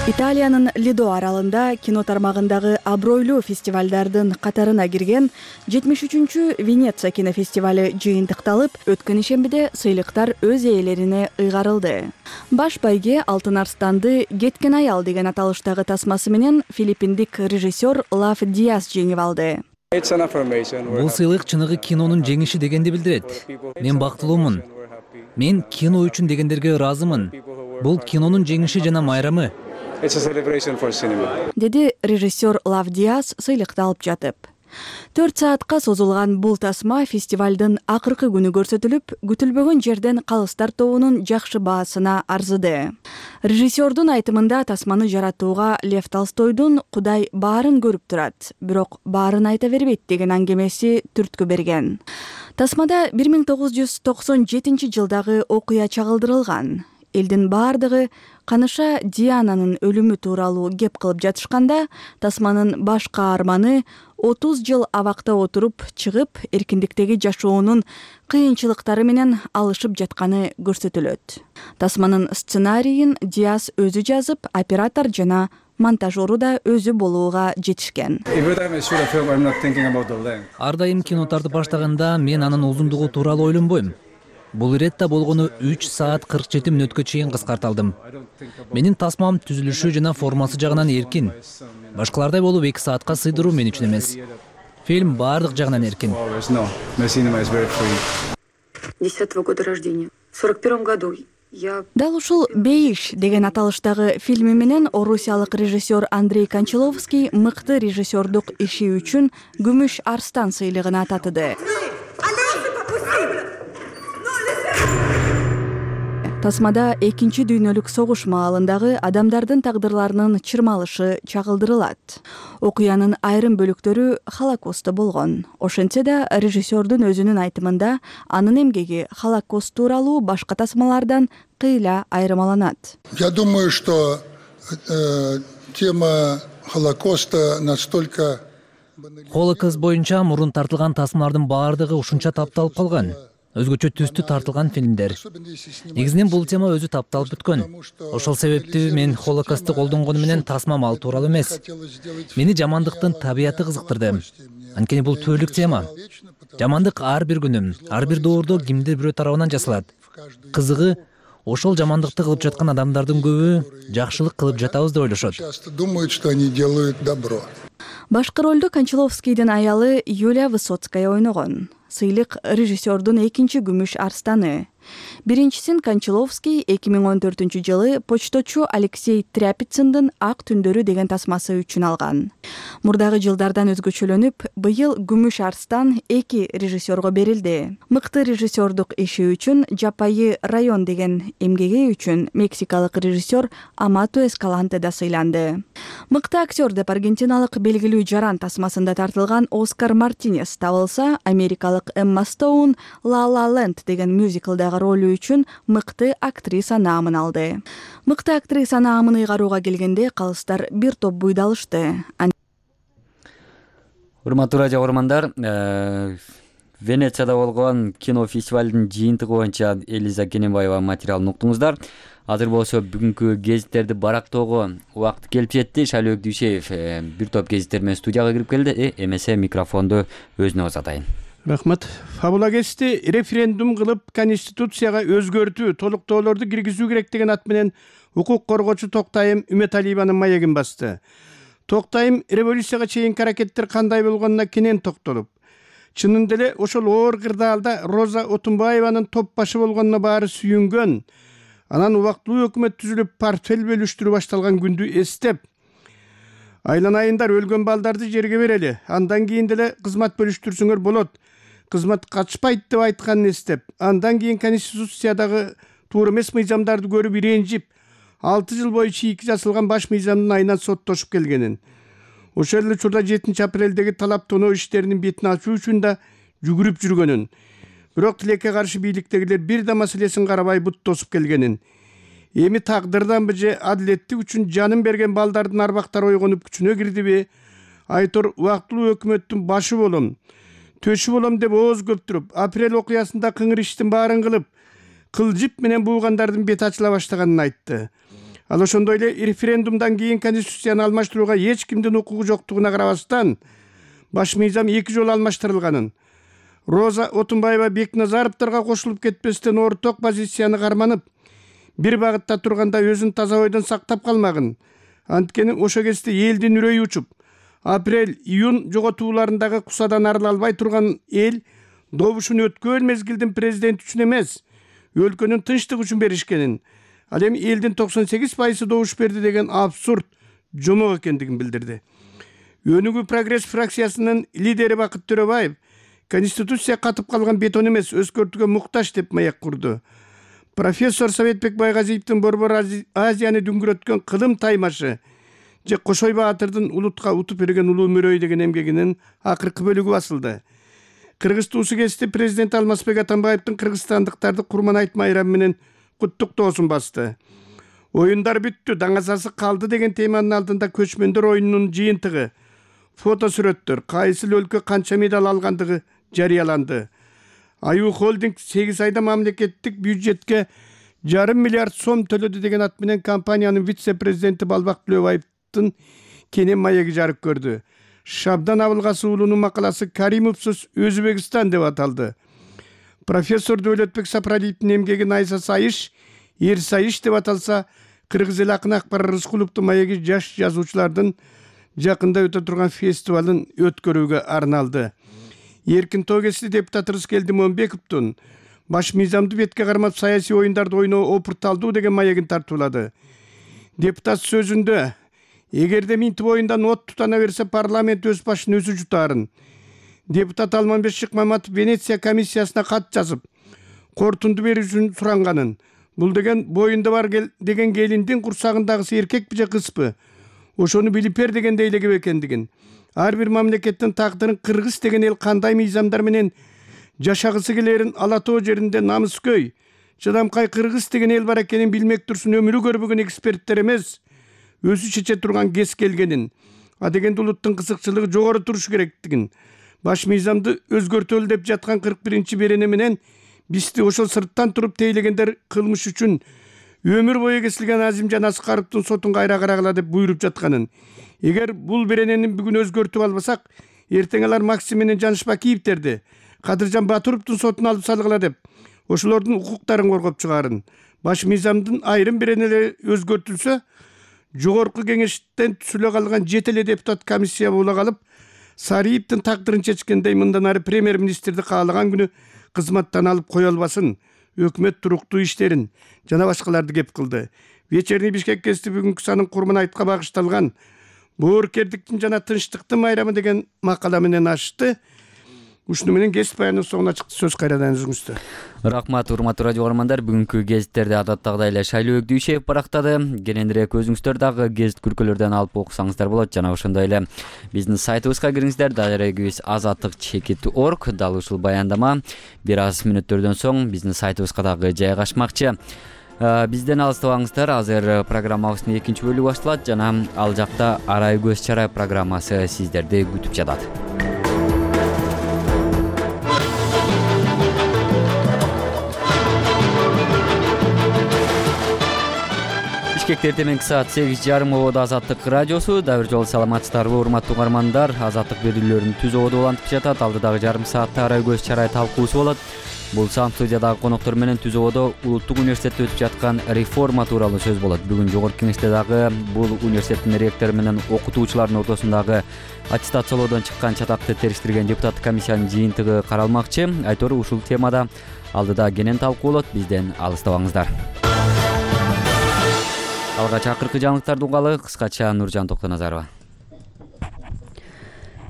Италиянын Лидо аралында кино тармагындагы абройлуу фестивалдардын катарына кирген жетимиш үчүнчү Венеция кинофестивали жыйынтыкталып, өткөн ишембиде сыйлыктар өз ээлерине ыйгарылды. Баш байге Алтын Арстанды «Кеткен аял» деген аталыштагы тасмасы менен филиппиндик режиссер Лав Диаз жеңип алды. Бул сыйлык чыныгы кинонун жеңиши дегенди билдирет. Мен бактылуумун. Мен кино үчүн дегендерге ыраазымын. Бул кинонун жеңиши жана майрамы. Деди режиссер Лав Диаз сыйлыкты алып жатып. төрт саатка созулган бул тасма фестивалдын акыркы күнү көрсөтүлүп, күтүлбөгөн жерден калыстар тобунун жакшы баасына арзыды. Режиссердун айтымында тасманы жаратууга Лев Толстойдун «Кудай баарын көрүп турат, бирок баарын айта бербейт» деген аңгемеси түрткү берген. Тасмада бир миң тогуз жүз токсон жетинчи жылдагы окуя чагылдырылган. Элдин баардыгы каныша Диананын өлүмү тууралуу кеп кылып жатышканда, тасманын баш каарманы отуз жыл абакта отуруп чыгып, эркиндиктеги жашоонун кыйынчылыктары менен алышып жатканы көрсөтүлөт. Тасманын сценарийин Диаз өзү жазып, оператор жана монтажеру да өзү болууга жетишкен. Ар дайым кино тартып баштаганда мен анын узундугу тууралуу ойлонбойм. Бул иретте болгону үч саат кырк жети мүнөткө чейин кыскарталдым. Менин тасмам түзүлүшү жана формасы жагынан эркин. Башкалардай болуп эки саатка сыйдыруу мен үчүн эмес. Фильм баардык жагынан эркин. десятого года рождения. В сорок первом году. Дал ушул «Бейиш» деген аталыштагы фильми менен орусиялык режиссер Андрей Кончаловский мыкты режиссердук иши үчүн Күмүш Арстан сыйлыгын ататыды. Тасмада экинчи дүйнөлүк согуш маалындагы адамдардын тагдырларынын чырмалышы чагылдырылат. Окуянын айрым бөлүктөрү Холокостто болгон. Ошентсе да режиссердун өзүнүн айтымында анын эмгеги Холокост тууралуу башка тасмалардан кыйла айырмаланат. Я думаю, что э, тема Холокоста настолько... Холокост боюнча мурун тартылган тасмалардын баардыгы ушунча тапталып калган. Өзгөчө түстүү тартылган фильмдер. Негизинен бул тема өзү тапталып бүткөн. Ошол себептүү мен Холокостты колдонгону менен тасмам ал тууралуу эмес. Мени жамандыктын табияты кызыктырды. Анткени бул түбөлүк тема. Жамандык ар бир күнү, ар бир доордо кимдир бирөө тарабынан жасалат. Кызыгы, ошол жамандыкты кылып жаткан адамдардын көбү жакшылык кылып жатабыз деп ойлошот. Часто думают, что они делают добро. Башкы ролду Кончаловскийдин аялы Юлия Высоцкая ойногон. Сыйлык режиссердун экинчи Күмүш Арстаны. Биринчисин Кончаловский эки миң он төртүнчү жылы почточу Алексей Тряпицындын Ак түндөрү деген тасмасы үчүн алган. Мурдагы жылдардан өзгөчөлөнүп, быйыл Күмүш Арстан эки режиссерго берилди. Мыкты режиссердук иши үчүн Жапайы район деген эмгеги үчүн мексикалык режиссер Амато Эскаланте да сыйланды. Мыкты актер деп аргентиналык белгилүү жаран тасмасында тартылган Оскар Мартинес табылса, америкалык Эмма Стоун La La Land деген мюзиклдагы ролу үчүн мыкты актриса наамын алды. Мыкты актриса наамын ыйгарууга келгенде калыстар бир топ буйдалышты. Урматтуу радио көрөрмандар, Венецияда болгон кино фестивалдын жыйынтыгы боюнча Элиза Кененбаева материалын уктуңуздар. Азыр болсо бүгүнкү гезиттерди барактоого убакыт келип жетти. Шайлоо Дүйшеев бир топ гезиттер менен студияга кирип келди. Эмесе микрофонду өзүнө узатайын. Рахмат. Фабула кести референдум кылып Конституцияга өзгөртүү, толуктоолорду киргизүү керек деген ат менен укук коргоочу Токтайым Үмөталиеванын маегин басты. Токтайым революцияга чейинки аракеттер кандай болгонуна кенен токтолуп, чынында эле ошол оор кырдаалда Роза Отунбаеванын топ башы болгонуна баары сүйүнгөн, анан убактылуу өкмөт түзүлүп портфель бөлүштүрүү башталган күндү эстеп, айланайындар өлгөн балдарды жерге берели, андан кийин деле кызмат бөлүштүрсөңөр болот, кызмат качпайт деп айтканын эстеп, андан кийин Конституциядагы туура эмес мыйзамдарды көрүп иренжип, алты жыл бою чийки жасалган баш мыйзамдын айынан соттошуп келгенин. Ошол эле учурда жетинчи апрелдеги талап тоноо иштеринин бетин ачуу үчүн да жүгүрүп жүргөнүн. Бирок тилекке каршы бийликтегилер бир да маселесин карабай бут тосуп келгенин. Эми тагдырданбы же адилеттик үчүн жанын берген балдардын арбактары ойгонуп күчүнө кирдиби? Айтор убактылуу өкмөттүн башы болом, төшү болом деп ооз көптүрүп, апрель окуясында кыңыр иштин баарын кылып, кылжып менен буугандардын бети ачыла баштаганын айтты. Ал ошондой эле референдумдан кийин Конституцияны алмаштырууга эч кимдин укугу жоктугуна карабастан, баш мыйзам эки жолу алмаштырылганын, Роза Отунбаева Бекназаровдорго кошулуп кетпестен орток позицияны карманып, бир багытта турганда өзүн таза ойдон сактап калмагын. Анткени ошо кезде элдин үрөйү учуп, апрель, июнь жоготууларындагы кусадан арыла албай турган эл добушун өткөн мезгилдин президенти үчүн эмес, өлкөнүн тынчтыгы үчүн беришкенин, ал эми элдин токсон сегиз пайызы добуш берди деген абсурд жомок экендигин билдирди. Өнүгүү прогресс фракциясынын лидери Бакыт Төрөбаев Конституция катып калган бетон эмес, өзгөртүүгө муктаж деп маяк курду. Профессор Советбек Байгазиевдин Борбор Азияны дүңгүрөткөн кылым таймашы же Кошой Баатырдын улутка утуп берген улуу мөрөй деген эмгегинин акыркы бөлүгү басылды. Кыргыз туусу кести президент Алмазбек Атамбаевдин кыргызстандыктарды Курман айт майрамы менен куттуктоосун басты. Оюндар бүттү, даңазасы калды деген теманын алдында көчмөндөр оюнунун жыйынтыгы, фото сүрөттөр, кайсы өлкө канча медаль алгандыгы жарыяланды. Аю холдинг сегиз айда мамлекеттик бюджетке жарым миллиард сом төлөдү деген ат менен компаниянын вице-президенти Балбак Төлөбаевдин кенен маеги жарык көрдү. Шабдан Абылгасы уулунун макаласы Каримовсуз Өзбекстан деп аталды. Профессор Дөөлөтбек Сапаралиевдин эмгеги Найса Сайыш, Эр Сайыш деп аталса, Кыргыз эл акыны Акбар Рыскуловдун маеги жаш жазуучулардын жакында өтө турган фестивалын өткөрүүгө арналды. Эркин Тогеси депутат Рыскелди Момбековдун баш мыйзамды бетке кармап саясий оюндарды ойноо опурталдуу деген маегин тартуулады. Депутат сөзүндө эгерде минтип оюндан от тутана берсе парламент өз башын өзү жутаарын. Депутат Алманбек Шыкмаматов Венеция комиссиясына кат жазып, кортунду берүү үчүн суранганын. Бул деген боюнда бар деген келиндин курсагындагысы эркекпи же кызбы? Ошону билип бер дегенде элегип экендигин. Ар бир мамлекеттин тагдырын Кыргыз деген эл кандай мыйзамдар менен жашагысы келерин ала тоо жеринде намыскөй, чыдамкай Кыргыз деген эл бар экенин билмек турсун өмүрү көрбөгөн эксперттер эмес, өзү чече турган кез келгенин, а дегенде улуттун кызыкчылыгы жогору турушу керектигин, баш мыйзамды өзгөртөлү деп жаткан кырк биринчи берене менен бизди ошол сырттан туруп тейлегендер кылмыш үчүн өмүр бою кесилген Азимжан Аскаровдун сотун кайра карагыла деп буйруп жатканын. Эгер бул беренени бүгүн өзгөртүп албасак, эртең алар Максим менен Жанышпа Кийиптерди, Кадыржан Батыровдун сотун алып салгыла деп ошолордун укуктарын коргоп чыгаарын. Баш мыйзамдын айрым беренелери өзгөртүлсө, жогорку кеңештен түзүлө калган жети эле депутат комиссия боло калып, Сариевдин тагдырын чечкендей мындан ары премьер-министрди каалаган күнү кызматтан алып кое албасын. өкмөт туруктуу иштерин жана башкаларды кеп кылды. Вечерний Бишкек гезити бүгүнкү санын курман айтка багышталган боорукердиктин жана тынчтыктын майрамы деген макала менен ачты. Ушуну менен гезит баянынын соңуна чыкты. Сөз кайрадан өзүңүздө. Рахмат, урматтуу радио угармандар. Бүгүнкү гезиттерди адаттагыдай эле Шайлоо Өгдүйшев барактады. Кененирээк өзүңүздөр дагы гезит күркөлөрдөн алып окусаңыздар болот. Жана ошондой эле биздин сайтыбызга кириңиздер. Дарегибиз азаттык чекит точка орг. Дал ушул баяндама бир аз мүнөттөрдөн соң биздин сайтыбызга дагы жайгашмакчы. Бизден алыстабаңыздар. Азыр программабыздын экинчи бөлүгү башталат жана ал жакта Арай көз чарай программасы сиздерди күтүп жатат. Бишкекте эртеменки саат сегиз жарым ободо Азаттык радиосу. Дагы бир жолу саламатсыздарбы, урматтуу угармандар. Азаттык берүүлөрүн түз ободо улантып жатат. Алдыдагы жарым саатта Арай көз чарай талкуусу болот. Бул сам студиядагы коноктор менен түз ободо Улуттук университетте өтүп жаткан реформа тууралуу сөз болот. Бүгүн жогорку кеңеште дагы бул университеттин ректору менен окутуучулардын ортосундагы аттестациялоодон чыккан чатакты териштирген депутаттык комиссиянын жыйынтыгы каралмакчы. Айтору ушул темада алдыда кенен талкуу болот. Бизден алыстабаңыздар. Алгач акыркы жаңылыктарды угалы. Кыскача Нуржан Токтоназарова.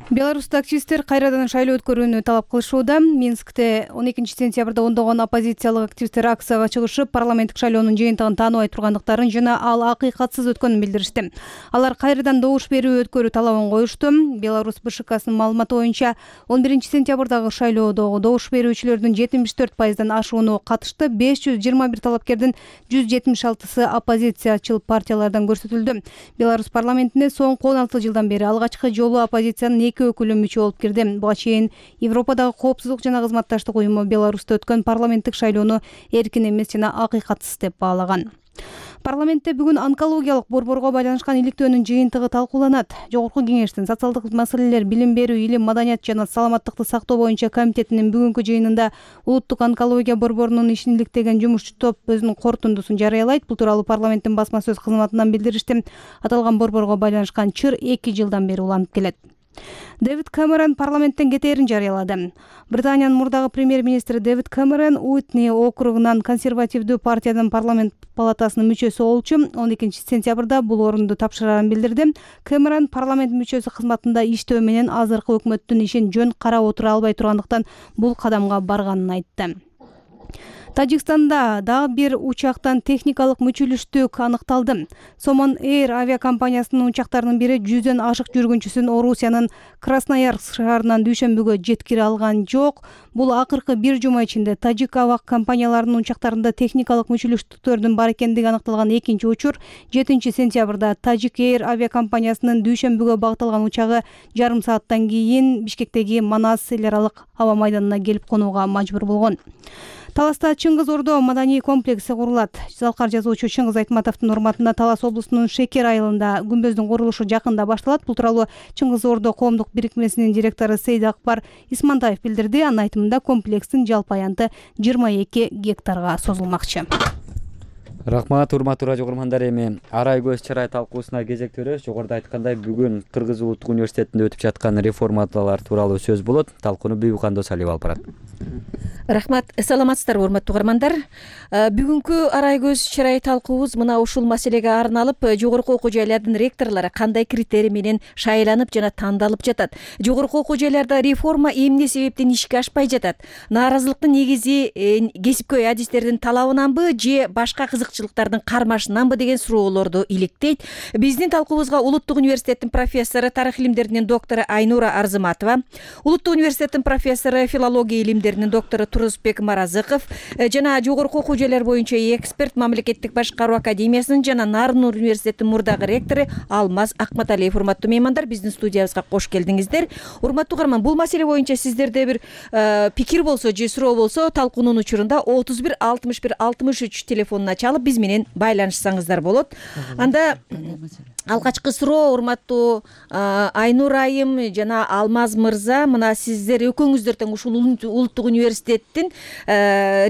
Беларуста активисттер кайрадан шайлоо өткөрүүнү талап кылышууда. Минскте он экинчи сентябрда ондогон оппозициялык активисттер акцияга чыгышып, парламенттик шайлоонун жыйынтыгын тааныбай тургандыктарын жана ал акыйкатсыз өткөнүн билдиришти. Алар кайрадан добуш берүү өткөрүү талабын коюшту. Беларусь БШКсынын маалыматы боюнча он биринчи сентябрдагы шайлоодогу добуш берүүчүлөрдүн жетимиш төрт пайыздан ашууну катышты. беш жүз жыйырма бир талапкердин жүз жетимиш алтысы оппозициячыл партиялардан көрсөтүлдү. Беларусь парламентине соңку он алты жылдан бери алгачкы жолу оппозициянын өкүлү мүчө болуп кирди. Буга чейин Европадагы коопсуздук жана кызматташтык уюму Беларусьта өткөн парламенттик шайлоону эркин эмес жана акыйкатсыз деп баалаган. Парламентте бүгүн онкологиялык борборго байланышкан иликтөөнүн жыйынтыгы талкууланат. Жогорку кеңештин социалдык маселелер, билим берүү, илим, маданият жана саламаттыкты сактоо боюнча комитетинин бүгүнкү жыйынында Улуттук онкология борборунун ишин иликтеген жумушчу топ өзүнүн корутундусун жарыялайт. Бул тууралуу парламенттин басма сөз кызматынан билдиришти. Аталган борборго байланышкан чыр эки жылдан бери уланып келет. Дэвид Кэмерон парламенттен кетээрин жарыялады. Британиянын мурдагы премьер-министри Дэвид Кэмерон Уитни округунан консервативдүү партиянын парламент палатасынын мүчөсү болчу. он экинчи сентябрда бул орунду тапшырарын билдирди. Кэмерон парламент мүчөсү кызматында иштөө менен азыркы өкмөттүн ишин жөн карап отура албай тургандыктан бул кадамга барганын айтты. Тажикстанда дагы бир учактан техникалык мүчүлүштүк аныкталды. Somon Air авиакомпаниясынын учактарынын бири жүздөн ашык жүргүнчүсүн Орусиянын Красноярск шаарынан дүйшөмбүгө жеткире алган жок. Бул акыркы бир жума ичинде тажик аба компанияларынын учактарында техникалык мүчүлүштүктөрдүн бар экендиги аныкталган экинчи учур. жетинчи сентябрда Тажик Air авиакомпаниясынын дүйшөмбүгө багытталган учагы жарым сааттан кийин Бишкектеги Манас эл аралык аба майданына келип конууга мажбур болгон. Таласта Чыңгыз Ордо маданий комплекси курулат. Залкар жазуучу Чыңгыз Айтматовдун урматына Талас облусунун Шекер айылында күмбөздүн курулушу жакында башталат. Бул тууралуу Чыңгыз Ордо коомдук бирикмесинин директору Сейд Акбар Исмантаев билдирди. Анын айтымында комплекстин жалпы аянты жыйырма эки гектарга созулмакчы. Рахмат, урматтуу радио угармандар. Эми Арай көз чарай талкуусуна кезектөрөбүз. Жогоруда айткандай, бүгүн Кыргыз Улуттук университетинде өтүп жаткан реформалар тууралуу сөз болот. Талкууну Бүйүкхан Досалиева алып барат. Рахмат, саламатсыздарбы урматтуу угармандар. Бүгүнкү Арай көз чарай талкуубуз мына ушул маселеге арналып, жогорку окуу жайлардын ректорлору кандай критерий менен шайланып жана тандалып жатат. Жогорку окуу жайларда реформа эмне себептен ишке ашпай жатат? Нааразылыктын негизи кесипкөй адистердин талабынанбы же башка кызыкчылыктардын кармашынанбы деген суроолорду иликтейт. Биздин талкуубузга Улуттук университеттин профессору, тарых илимдеринин доктору Айнура Арзыматова, Улуттук университеттин профессору, филология илимдеринин доктору Турузбек Маразыков жана жогорку окуу жайлар боюнча эксперт, мамлекеттик башкаруу академиясынын жана Нарын университетинин мурдагы ректору Алмаз Акматалиев. Урматтуу меймандар, биздин студиябызга кош келдиңиздер. Урматтуу угарман, бул маселе боюнча сиздерде бир пикир болсо же суроо болсо талкуунун учурунда отуз бир алтымыш бир алтымыш үч телефонуна чалып биз менен байланышсаңыздар болот. Анда алгачкы суроо, урматтуу Айнур айым жана Алмаз мырза, мына сиздер экөөңүздөр тең ушул Улуттук университет университеттин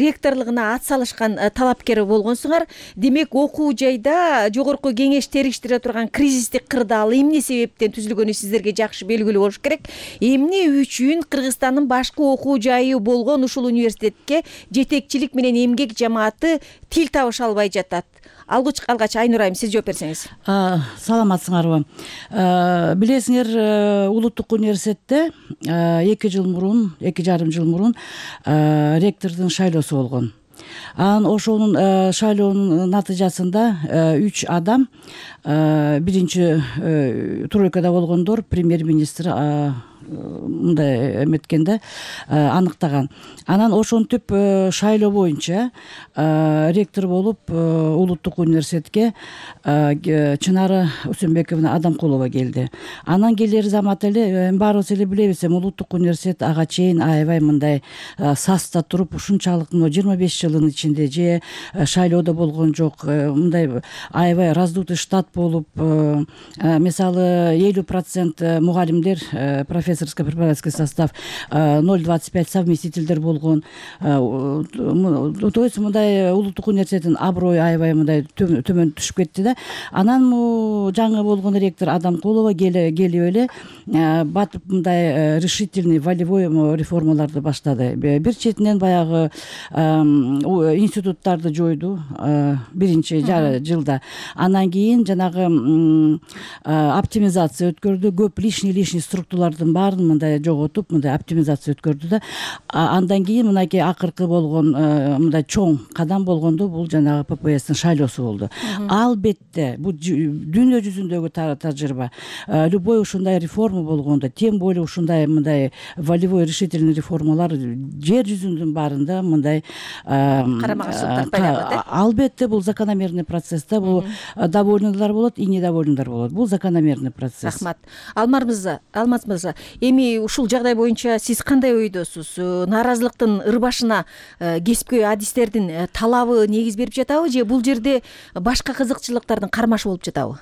ректорлугуна ат салышкан талапкер болгонсуңар. Демек окуу жайда жогорку кеңеш териштире турган кризистик кырдаал эмне себептен түзүлгөнү сиздерге жакшы белгилүү болуш керек. Эмне үчүн Кыргызстандын башкы окуу жайы болгон ушул университетке жетекчилик менен эмгек жамааты тил табыша албай жатат? Алгыч алгач Айнур айым, сиз жооп берсеңиз. Саламатсыңарбы? Билесиңер, улуттук университетте эки жыл мурун, эки жарым жыл мурун ректордун шайлоосу болгон. Анан ошонун шайлоонун натыйжасында үч адам, биринчи тройкада болгондор премьер-министр мындай эметкенде аныктаган. Анан ошентип шайлоо боюнча ректор болуп улуттук университетке Чынары Усенбековна Адамкулова келди. Анан келер замат эле баарыбыз эле билебиз, улуттук университет ага чейин аябай мындай саста туруп, ушунчалык жыйырма беш жылдын ичинде же шайлоодо болгон жок, мындай аябай раздутый штат болуп, мисалы элүү процент мугалимдер, профессорско-преподавательский состав, ноль двадцать пять совместительдер болгон. То есть мындай улуттук университеттин аброю аябай мындай төмөн түшүп кетти да. Анан жаңы болгон ректор Адамкулова келип эле батып мындай решительный волевой реформаларды баштады. Бир четинен баягы институттарды жойду биринчи жылда. Анан кийин жанагы оптимизация өткөрдү, көп лишний лишний структуралардын баарын мындай жоготуп, мындай оптимизация өткөрдү да. Андан кийин мынакей акыркы болгон мындай чоң кадам болгондо бул жанагы ППСтин шайлоосу болду. Албетте бул дүйнө жүзүндөгү тажрыйба. Любой ушундай реформа болгондо, тем более ушундай мындай волевой решительный реформалар жер жүзүнүн баарында мындай карама-каршылыктар пайда болот. Албетте бул закономерный процесс да, бул довольныйлар болот, и недовольныйлар болот. Бул закономерный процесс. Рахмат. Алмаз мырза, Алмаз мырза, эми ушул жагдай боюнча сиз кандай ойдосуз? Нааразылыктын ырбашына кесипкөй адистердин талабы негиз берип жатабы же бул жерде башка кызыкчылыктардын кармашы болуп жатабы?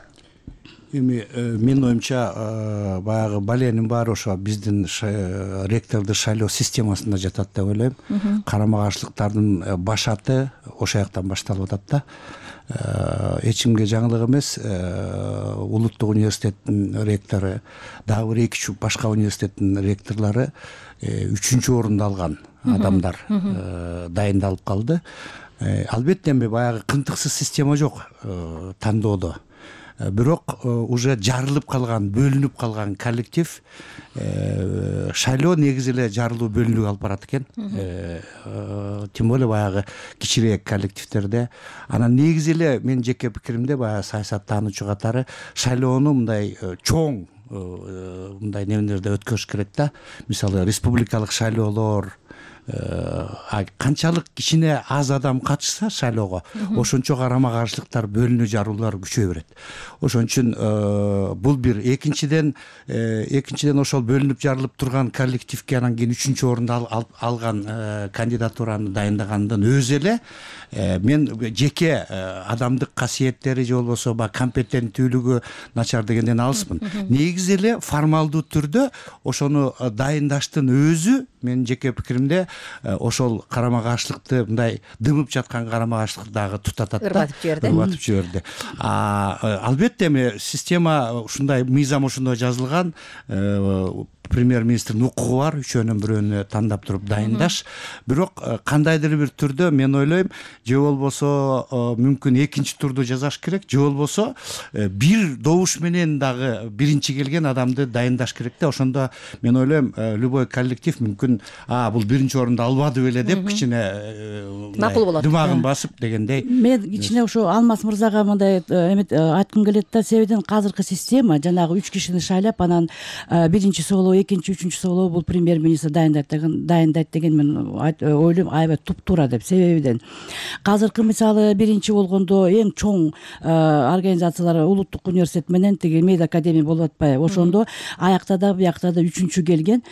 Эми менин оюмча баягы баленин баары ошо биздин ректорду шайлоо системасында жатат деп ойлойм. Карама-каршылыктардын башаты ошол жактан башталып атат да. Эч кимге жаңылык эмес, улуттук университеттин ректору, дагы бир эки үч башка университеттин ректорлору үчүнчү орунду алган адамдар дайындалып калды. Албетте эми баягы кынтыксыз система жок тандоодо. Бирок уже жарылып калган, бөлүнүп калган коллектив, шайлоо негизи эле жарылуу бөлүнүүгө алып барат экен. Тем более баягы кичирээк коллективдерде. Анан негизи эле менин жеке пикиримде баягы саясаттануучу катары шайлоону мындай чоң мындай немелерде өткөрүш керек да. Мисалы республикалык шайлоолор, канчалык кичине аз адам катышса шайлоого, ошончо карама-каршылыктар, бөлүнүү жаруулар күчөй берет. Ошон үчүн бул бир, экинчиден экинчиден ошол бөлүнүп жарылып турган коллективге анан кийин үчүнчү орунду алган кандидатураны дайындагандын өзү эле мен жеке адамдык касиеттери же болбосо баягы компетенттүүлүгү начар дегенден алыспын. Негизи эле формалдуу түрдө ошону дайындаштын өзү менин жеке пикиримде ошол карама-каршылыкты мындай дымып жаткан карама-каршылыкты дагы тутатат да, ырбатып жиберди. Ырбатып жиберди. Албетте эми система ушундай, мыйзам ошондой жазылган, премьер-министрдин укугу бар, үчөөнүн бирөөнү тандап туруп дайындаш. Бирок кандайдыр бир түрдө мен ойлойм, же болбосо мүмкүн экинчи турду жасаш керек, же болбосо бир добуш менен дагы биринчи келген адамды дайындаш керек да. Ошондо мен ойлойм, любой коллектив мүмкүн а бул биринчи орунду албады беле деп кичине макул болот, дымагын басып дегендей. Мен кичине ошо Алмаз мырзага мындай айткым келет да, себебен азыркы система жанагы үч кишини шайлап, анан биринчи соолоо, экинчи, үчүнчү соолоо бул премьер-министр дайындайт деген дайындайт деген мен ойлойм аябай туптуура деп. Себебиден азыркы мисалы биринчи болгондо эң чоң организациялар улуттук университет менен тиги мед академия болуп атпайбы? Ошондо аякта да буякта да үчүнчү келген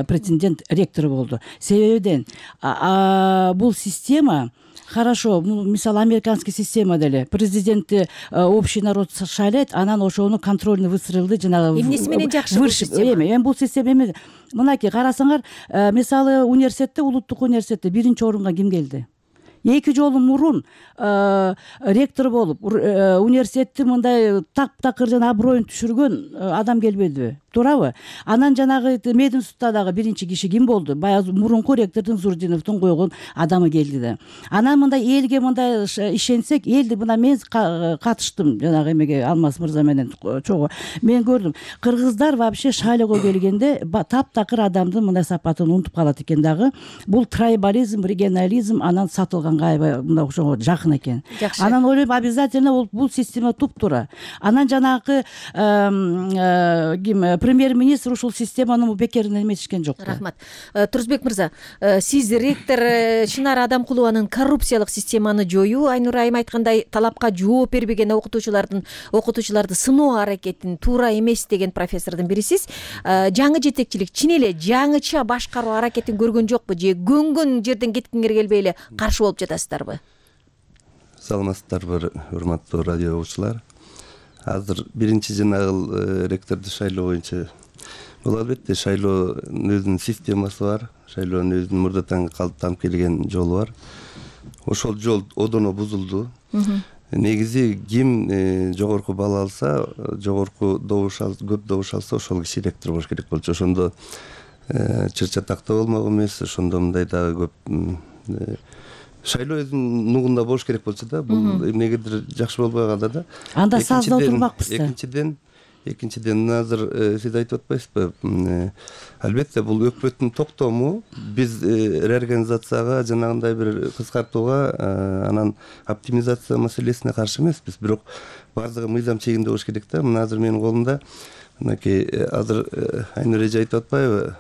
претендент ректор болду. Себебиден бул система Хорошо, мисалы американский система деле президентти общий народ шайлайт, анан ошону контрольный выстрелды жанагы эмнеси менен жакшы бул система? Эми эми бул система эми мынакей карасаңар, мисалы университетте, улуттук университетте биринчи орунга ким келди? Эки жолу мурун ректор болуп университетти мындай таптакыр жана аброюн түшүргөн адам келбедиби? Туурабы? Анан жанагы мединститутта дагы биринчи киши ким болду? Баягы мурунку ректордун Зурдиновдун койгон адамы келди да. Анан мындай элге мындай ишенсек, элди мына мен катыштым жанагы эмеге Алмаз мырза менен чогуу. Мен көрдүм. Кыргыздар вообще шайлоого келгенде таптакыр адамдын мындай сапатын унутуп калат экен дагы. Бул трайбализм, регионализм, анан сатылганга аябай мындай ошого жакын экен. Анан ойлойм, обязательно бул система туп-туура. Анан жанагы ким премьер-министр ушул системаны бекеринен эметишкен жок. Рахмат. Турузбек мырза, сиз ректор Чынар Адамкулованын коррупциялык системаны жоюу, Айнура айым айткандай талапка жооп бербеген окутуучулардын окутуучуларды сыноо аракетин туура эмес деген профессордун бирисиз. Жаңы жетекчилик чын эле жаңыча башкаруу аракетин көргөн жокпу же көнгөн жерден кеткиңер келбей эле каршы болуп жатасыздарбы? Саламатсыздарбы, урматтуу радио угуучулар. Азыр биринчи жанагыл ректорду шайлоо боюнча бул албетте шайлоонун өзүнүн системасы бар, шайлоонун өзүнүн мурдатан калыптанып келген жолу бар. Ошол жол одоно бузулду. Негизи ким жогорку балл алса, жогорку добуш алса, көп добуш алса, ошол киши ректор болуш керек болчу. Ошондо чыр чатакта болмок эмес, ошондо мындай дагы көп шайлоо өзүнүн нугунда болуш керек болчу да. Бул эмнегедир жакшы болбой калды да. Анда сазда отурмакпыз да. Экинчиден, экинчиден азыр сиз айтып атпайсызбы? Албетте бул өкмөттүн токтому биз реорганизацияга, жанагындай бир кыскартууга, анан оптимизация маселесине каршы эмеспиз. Бирок баардыгы мыйзам чегинде болуш керек да. Мына азыр менин колумда мынакей азыр Айнур эже айтып атпайбы?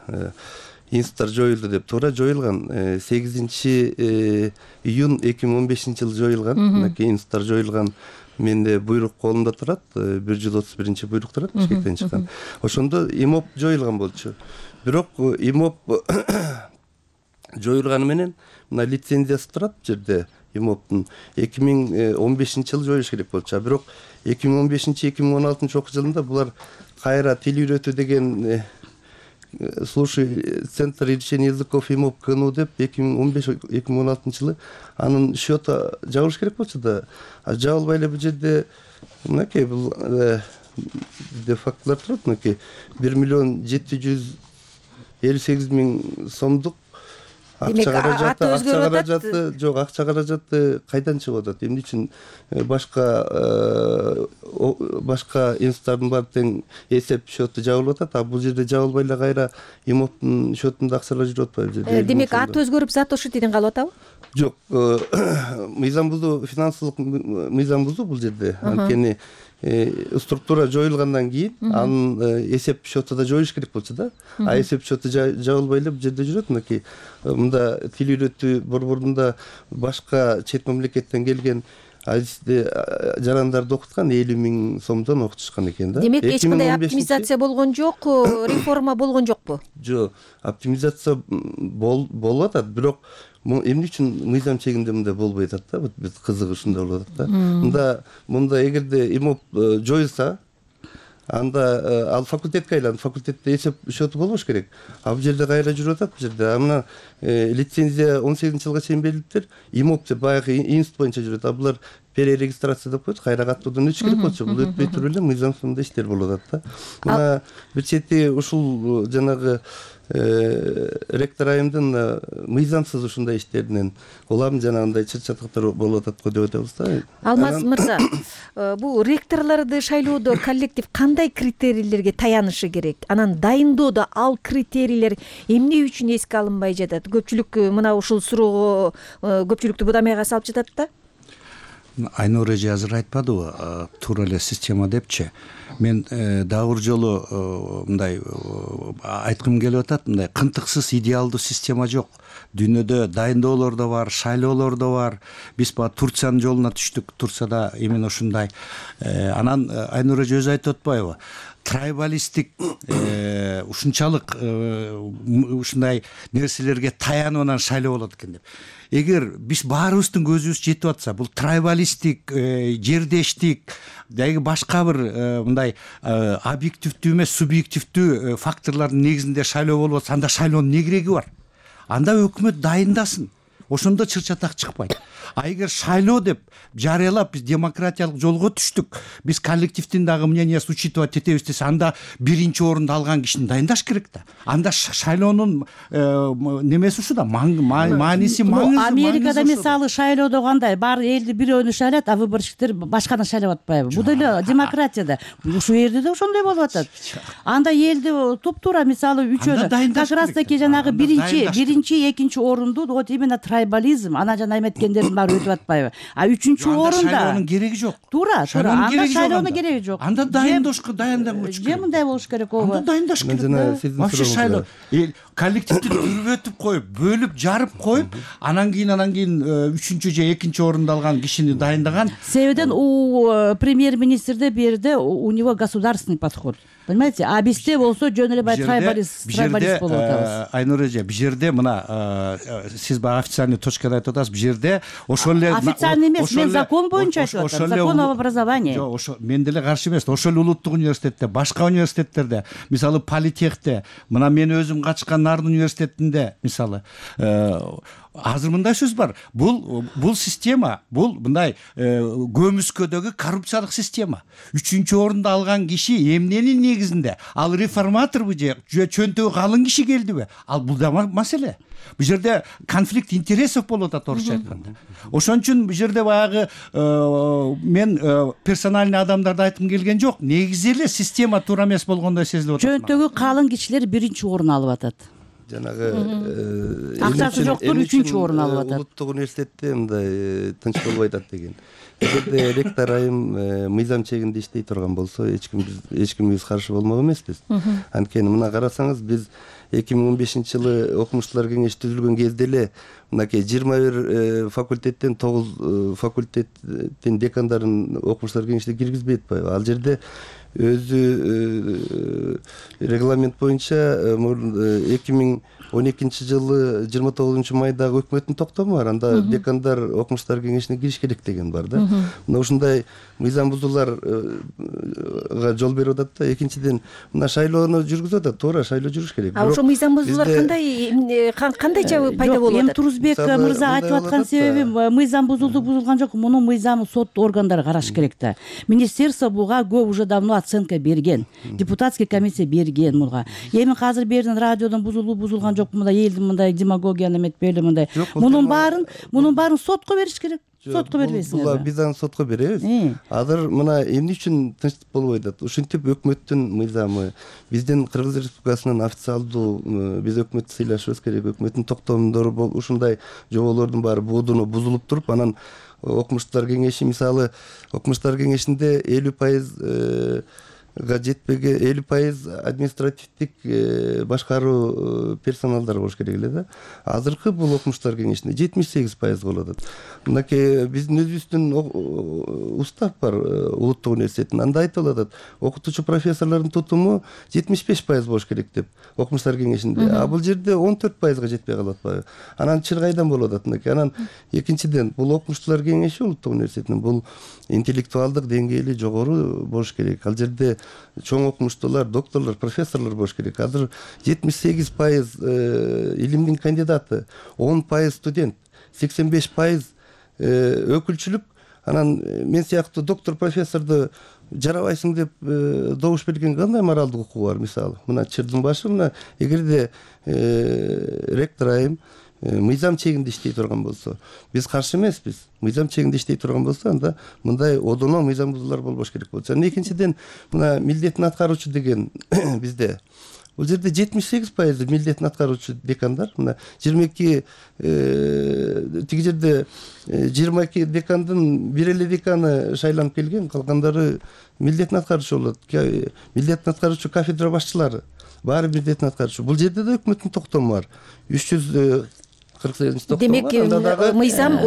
Институттар жоюлду деп. Туура жоюлган. сегизинчи июнь эки миң он бешинчи жылы жоюлган. Мынакей институттар жоюлган. Менде буйрук колумда турат. бир жүз отуз биринчи буйрук турат Бишкектен чыккан. Ошондо ИМОП жоюлган болчу. Бирок ИМОП жоюлганы менен мына лицензиясы турат бу жерде. ИМОПтун эки миң он бешинчи жылы жоюш керек болчу. Бирок эки миң он бешинчи эки миң он алтынчы окуу жылында булар кайра тил үйрөтүү деген слушай центр решения языков ИМОП КНУ деп эки миң он беш эки миң он алтынчы жылы анын счету жабылыш керек болчу да. А жабылбай эле бул жерде мынакей бул де фактылар турат. Мынакей бир миллион жети жүз элүү сегиз миң сомдук акча каражаты, акча каражаты жок, акча каражаты кайдан чыгып атат? Эмне үчүн башка башка институттардын баары тең эсеп счету жабылып атат, а бул жерде жабылбай эле кайра ИМОПтун счетунда акчалар жүрүп атпайбы? Демек ат өзгөрүп, зат ошентиден калып атабы? Жок, мыйзам бузуу, финансылык мыйзам бузуу бул жерде. Анткени структура жоюлгандан кийин анын эсеп счету да жоюш керек болчу да. А эсеп счету жабылбай эле бул жерде жүрөт. Мынакей мында тил үйрөтүү борборунда башка чет мамлекеттен келген жарандарды окуткан элүү миң сомдон окутушкан экен да. Демек эч кандай оптимизация болгон жок, реформа болгон жокпу? Жок, оптимизация болуп атат, бирок эмне үчүн мыйзам чегинде мындай болбой атат да? Биз кызыгы ушунда болуп атат да. Мында мында эгерде ИМОП жоюлса, анда ал факультетке айланып, факультетте эсеп счету болбош керек. А бул жерде кайра жүрүп атат бул жерде. А мына лицензия он сегизинчи жылга чейин берилиптир. ИМОП деп баягы институт боюнча жүрөт. А булар перерегистрация деп коет, кайра каттуудан өтүш керек болчу. Бул өтпөй туруп эле мыйзамсыз иштер болуп атат да. Мына бир чети ушул жанагы ректор айымдын мыйзамсыз ушундай иштеринен улам жанагындай чыр чатактар болуп атат го деп атабыз да. Алмаз мырза, бул ректорлорду шайлоодо коллектив кандай критерийлерге таянышы керек? Анан дайындоодо ал критерийлер эмне үчүн эске алынбай жатат? Көпчүлүк мына ушул суроого көпчүлүктү будамайга салып жатат да. Айнур эже азыр айтпадыбы, туура эле система депчи. Мен дагы бир жолу мындай айткым келип атат, мындай кынтыксыз идеалдуу система жок. Дүйнөдө дайындоолор да бар, шайлоолор да бар. Биз баа Турциянын жолуна түштүк. Турцияда именно ушундай. Анан Айнур эже өзү айтып атпайбы? трайбалисттик ушунчалык ушундай нерселерге таянып анан шайлоо болот экен деп. Эгер биз баарыбыздын көзүбүз жетип атса, бул трайбалисттик, жердештик, деги башка бир мындай объективдүү эмес, субъективдүү факторлордун негизинде шайлоо болуп атса, анда шайлоонун эмне кереги бар? Анда өкмөт дайындасын. Ошондо чыр-чатак чыкпайт. А эгер шайлоо деп жарыялап биз демократиялык жолго түштүк, биз коллективдин дагы мнениясын учитывать этебиз десе, анда биринчи орунду алган кишини дайындаш керек да. Анда шайлоонун немеси ушуда, мааниси маңызы. Америкада мисалы шайлоодо кандай, баары элди бирөөнү шайлайт, а выборщиктер башканы шайлап атпайбы? Бул деле демократияда. Ушул жерде да ошондой болуп атат. Анда элди туп-туура мисалы үчөөнү как раз таки жанагы биринчи, биринчи, экинчи орунду вот именно трайбализм, ана жана эметкендердин баары өтүп атпайбы? А үчүнчү орунда шайлоонун кереги жок. Туура, туура. Анда шайлоонун кереги жок. Анда дайындашка дайындалыш керек. Же мындай болуш керек ого. Анда дайындаш керек. Вообще шайлоо коллективди дүрбөтүп коюп, бөлүп, жарып коюп, анан кийин анан кийин үчүнчү же экинчи орунду алган кишини дайындаган. Себебен у премьер-министрде бу жерде у него государственный подход. Понимаете? А бизде болсо жөн эле бай трайбалист, трайбалист болуп атабыз. Айнур эже, бу жерде мына сиз баягы официальный точкада айтып атасыз, бу жерде ошол эле официальный эмес, мен закон боюнча айтып атам, закон об образовании. Жок, ошо мен деле каршы эмес. Ошол эле улуттук университетте, башка университеттерде, мисалы политехте, мына мен өзүм качкан Нарын университетинде, мисалы азыр мындай сөз бар. Бул бул система, бул мындай көмүскөдөгү коррупциялык система. Үчүнчү орунду алган киши эмненин негизинде? Ал реформаторбу же чөнтөгү калың киши келдиби? Ал бул да маселе. Бу жерде конфликт интересов болуп атат, орусча айтканда. Ошон үчүн бу жерде баягы мен персональный адамдарды айткым келген жок. Негизи эле система туура эмес болгондой сезилип атат. Чөнтөгү калың кишилер биринчи орун алып атат. Жанагы акчасы жоктор үчүнчү орун алып атат. Улуттук университетте мындай тынч болбой атат деген. Эгерде ректор айым мыйзам чегинде иштей турган болсо, эч ким эч ким биз каршы болмок эмеспиз. Анткени мына карасаңыз, биз эки миң он бешинчи жылы окумуштуулар кеңеши түзүлгөн кезде эле мынакей жыйырма бир факультеттен тогуз факультеттин декандарын окумуштуулар кеңешине киргизбей атпайбы? Ал жерде өзү регламент боюнча эки миң он экинчи жылы жыйырма тогузунчу майдагы өкмөттүн токтому бар. Анда декандар окумуштуулар кеңешине кириш керек деген бар да. Мына ушундай мыйзам бузууларга жол берип атат да. Экинчиден, мына шайлоону жүргүзүп атат, туура шайлоо жүрүш керек. А ошо мыйзам бузуулар кандай кандайча пайда болуп атат? Эми Турузбек мырза айтып аткан себебим, мыйзам бузулду, бузулган жок. Муну мыйзамы сот органдары караш керек да. Министерство буга көп уже давно оценка берген. Депутатский комиссия берген муга. Эми азыр бердин радиодон бузулуу, бузулган жок, мындай элди мындай демагогияны эметпейли мындай. Мунун баарын, мунун баарын сотко бериш керек. Сотко бербейсиңерби? Биз аны сотко беребиз. Азыр мына эмне үчүн тынчтык болбой атат? Ушинтип өкмөттүн мыйзамы, биздин Кыргыз Республикасынын официалдуу, биз өкмөттү сыйлашыбыз керек, өкмөттүн токтомдору ушундай жоболордун баары будуну бузулуп туруп, анан окумуштуулар кеңеши мисалы окумуштуулар кеңешинде элүү пайыз га жетпеген элүү пайыз административдик башкаруу персоналдар болуш керек эле да. Азыркы бул окумуштуулар кеңешинде жетимиш сегиз пайыз болуп атат. Мынакей биздин өзүбүздүн устав бар улуттук университеттин. Анда айтылып атат, окутуучу профессорлордун тутуму жетимиш беш пайыз болуш керек деп окумуштуулар кеңешинде. А бул жерде он төрт пайызга жетпей калып атпайбы? Анан чыр кайдан болуп атат мынакей? Анан экинчиден, бул окумуштуулар кеңеши улуттук университетинин бул интеллектуалдык деңгээли жогору болуш керек. Ал жерде чоң окумуштуулар, докторлор, профессорлор болуш керек. Азыр жетимиш сегиз пайыз илимдин кандидаты, он пайыз студент, сексен беш пайыз өкүлчүлүк. Анан мен сыяктуу доктор, профессорду жарабайсың деп добуш берген кандай моралдык укугу бар мисалы? Мына чырдын башы, мына эгерде ректор айым мыйзам чегинде иштей турган болсо, биз каршы эмеспиз. Мыйзам чегинде иштей турган болсо, анда мындай одоно мыйзам бузуулар болбош керек болчу. Анан экинчиден, мына милдетин аткаруучу деген бизде бул жерде жетимиш сегиз пайыз милдетин аткаруучу декандар. Мына жыйырма эки тиги жерде жыйырма эки декандын бир эле деканы шайланып келген, калгандары милдетин аткаруучу болот. Милдетин аткаруучу кафедра башчылары баары милдетин аткаруучу. Бул жерде да өкмөттүн токтому бар. үч жүз кырк сегизинчи токтом демек мыйзам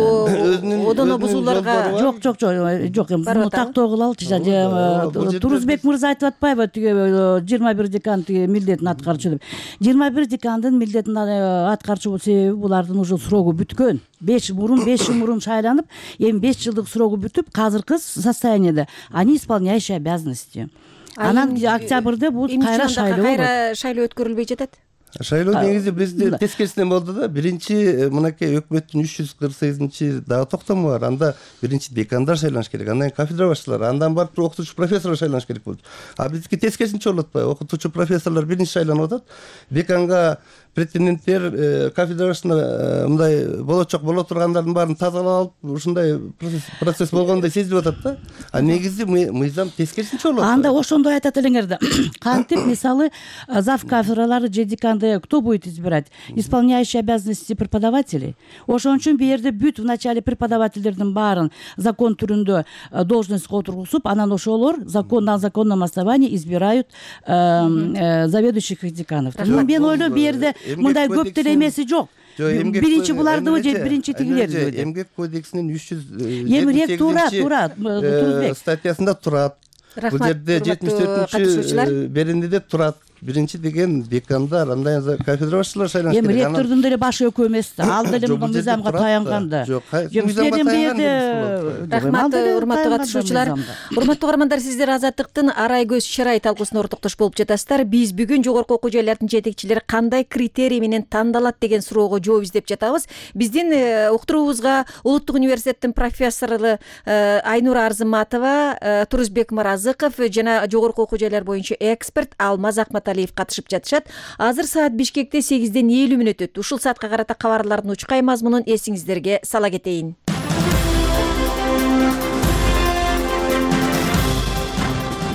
одоно бузууларга жок жок жок жок муну тактоо кылалычы Турузбек мырза айтып атпайбы тиги жыйырма бир декан тиги милдетин аткарчу деп. жыйырма бир декандын милдетин аткарчу себеби булардын уже срогу бүткөн. беш мурун беш жыл мурун шайланып, эми беш жылдык срогу бүтүп, казыркы состояниеде они исполняющие обязанности. Анан октябрда бул кайра шайлоо кайра шайлоо өткөрүлбөй жатат. Шайлоо негизи бизде тескерисинен болду да. Биринчи мынакей өкмөттүн үч жүз кырк сегизинчи дагы токтому бар. Анда биринчи декандар шайланыш керек, андан кафедра башчылары, андан барып окутуучу профессорлор шайланыш керек болчу. А бизики тескерисинче болуп атпайбы? Окутуучу профессорлор биринчи шайланып атат. Деканга претенденттер кафедра башчысына мындай болочок боло тургандардын баарын тазалап алып, ушундай процесс болгондой сезилип атат да. А негизи мыйзам тескерисинче болот. Анда ошондой айтат элеңер да. Кантип мисалы зав кафедралары же деканды кто будет избирать? Исполняющие обязанности преподавателей. Ошон үчүн бу жерде бүт в начале преподавательдердин баарын закон түрүндө должностько отургузуп, анан ошолор закон на законном основании избирают заведующих деканов. Мен ойлойм бу жерде мындай көп деле эмеси жок. Биринчи булардыбы же биринчи тигилердиби? Эмгек кодексинин үч жүз Эми туура, туура, Турузбек статьясында турат. Бул жерде жетимиш төртүнчү берендиде турат. Биринчи деген декандар, андан кафедра башчылары шайланыш керек. Эми ректордун деле башы экөө эмес да. Ал деле мыйзамга таянганда. Жок, мыйзамга таянган. Рахмат, урматтуу катышуучулар. Урматтуу көрөрмандар, сиздер Азаттыктын арай көз чырай талкуусуна ортоктош болуп жатасыздар. Биз бүгүн жогорку окуу жайлардын жетекчилери кандай критерий менен тандалат деген суроого жооп издеп жатабыз. Биздин уктуруубузга Улуттук университеттин профессору Айнура Арзыматова, Турузбек Маразыков жана жогорку окуу жайлар боюнча эксперт Алмаз Акматалиев катышып жатышат. Азыр саат Бишкекте сегизден элүү мүнөт өттү. Ушул саатка карата кабарлардын учкай мазмунун эсиңиздерге сала кетейин.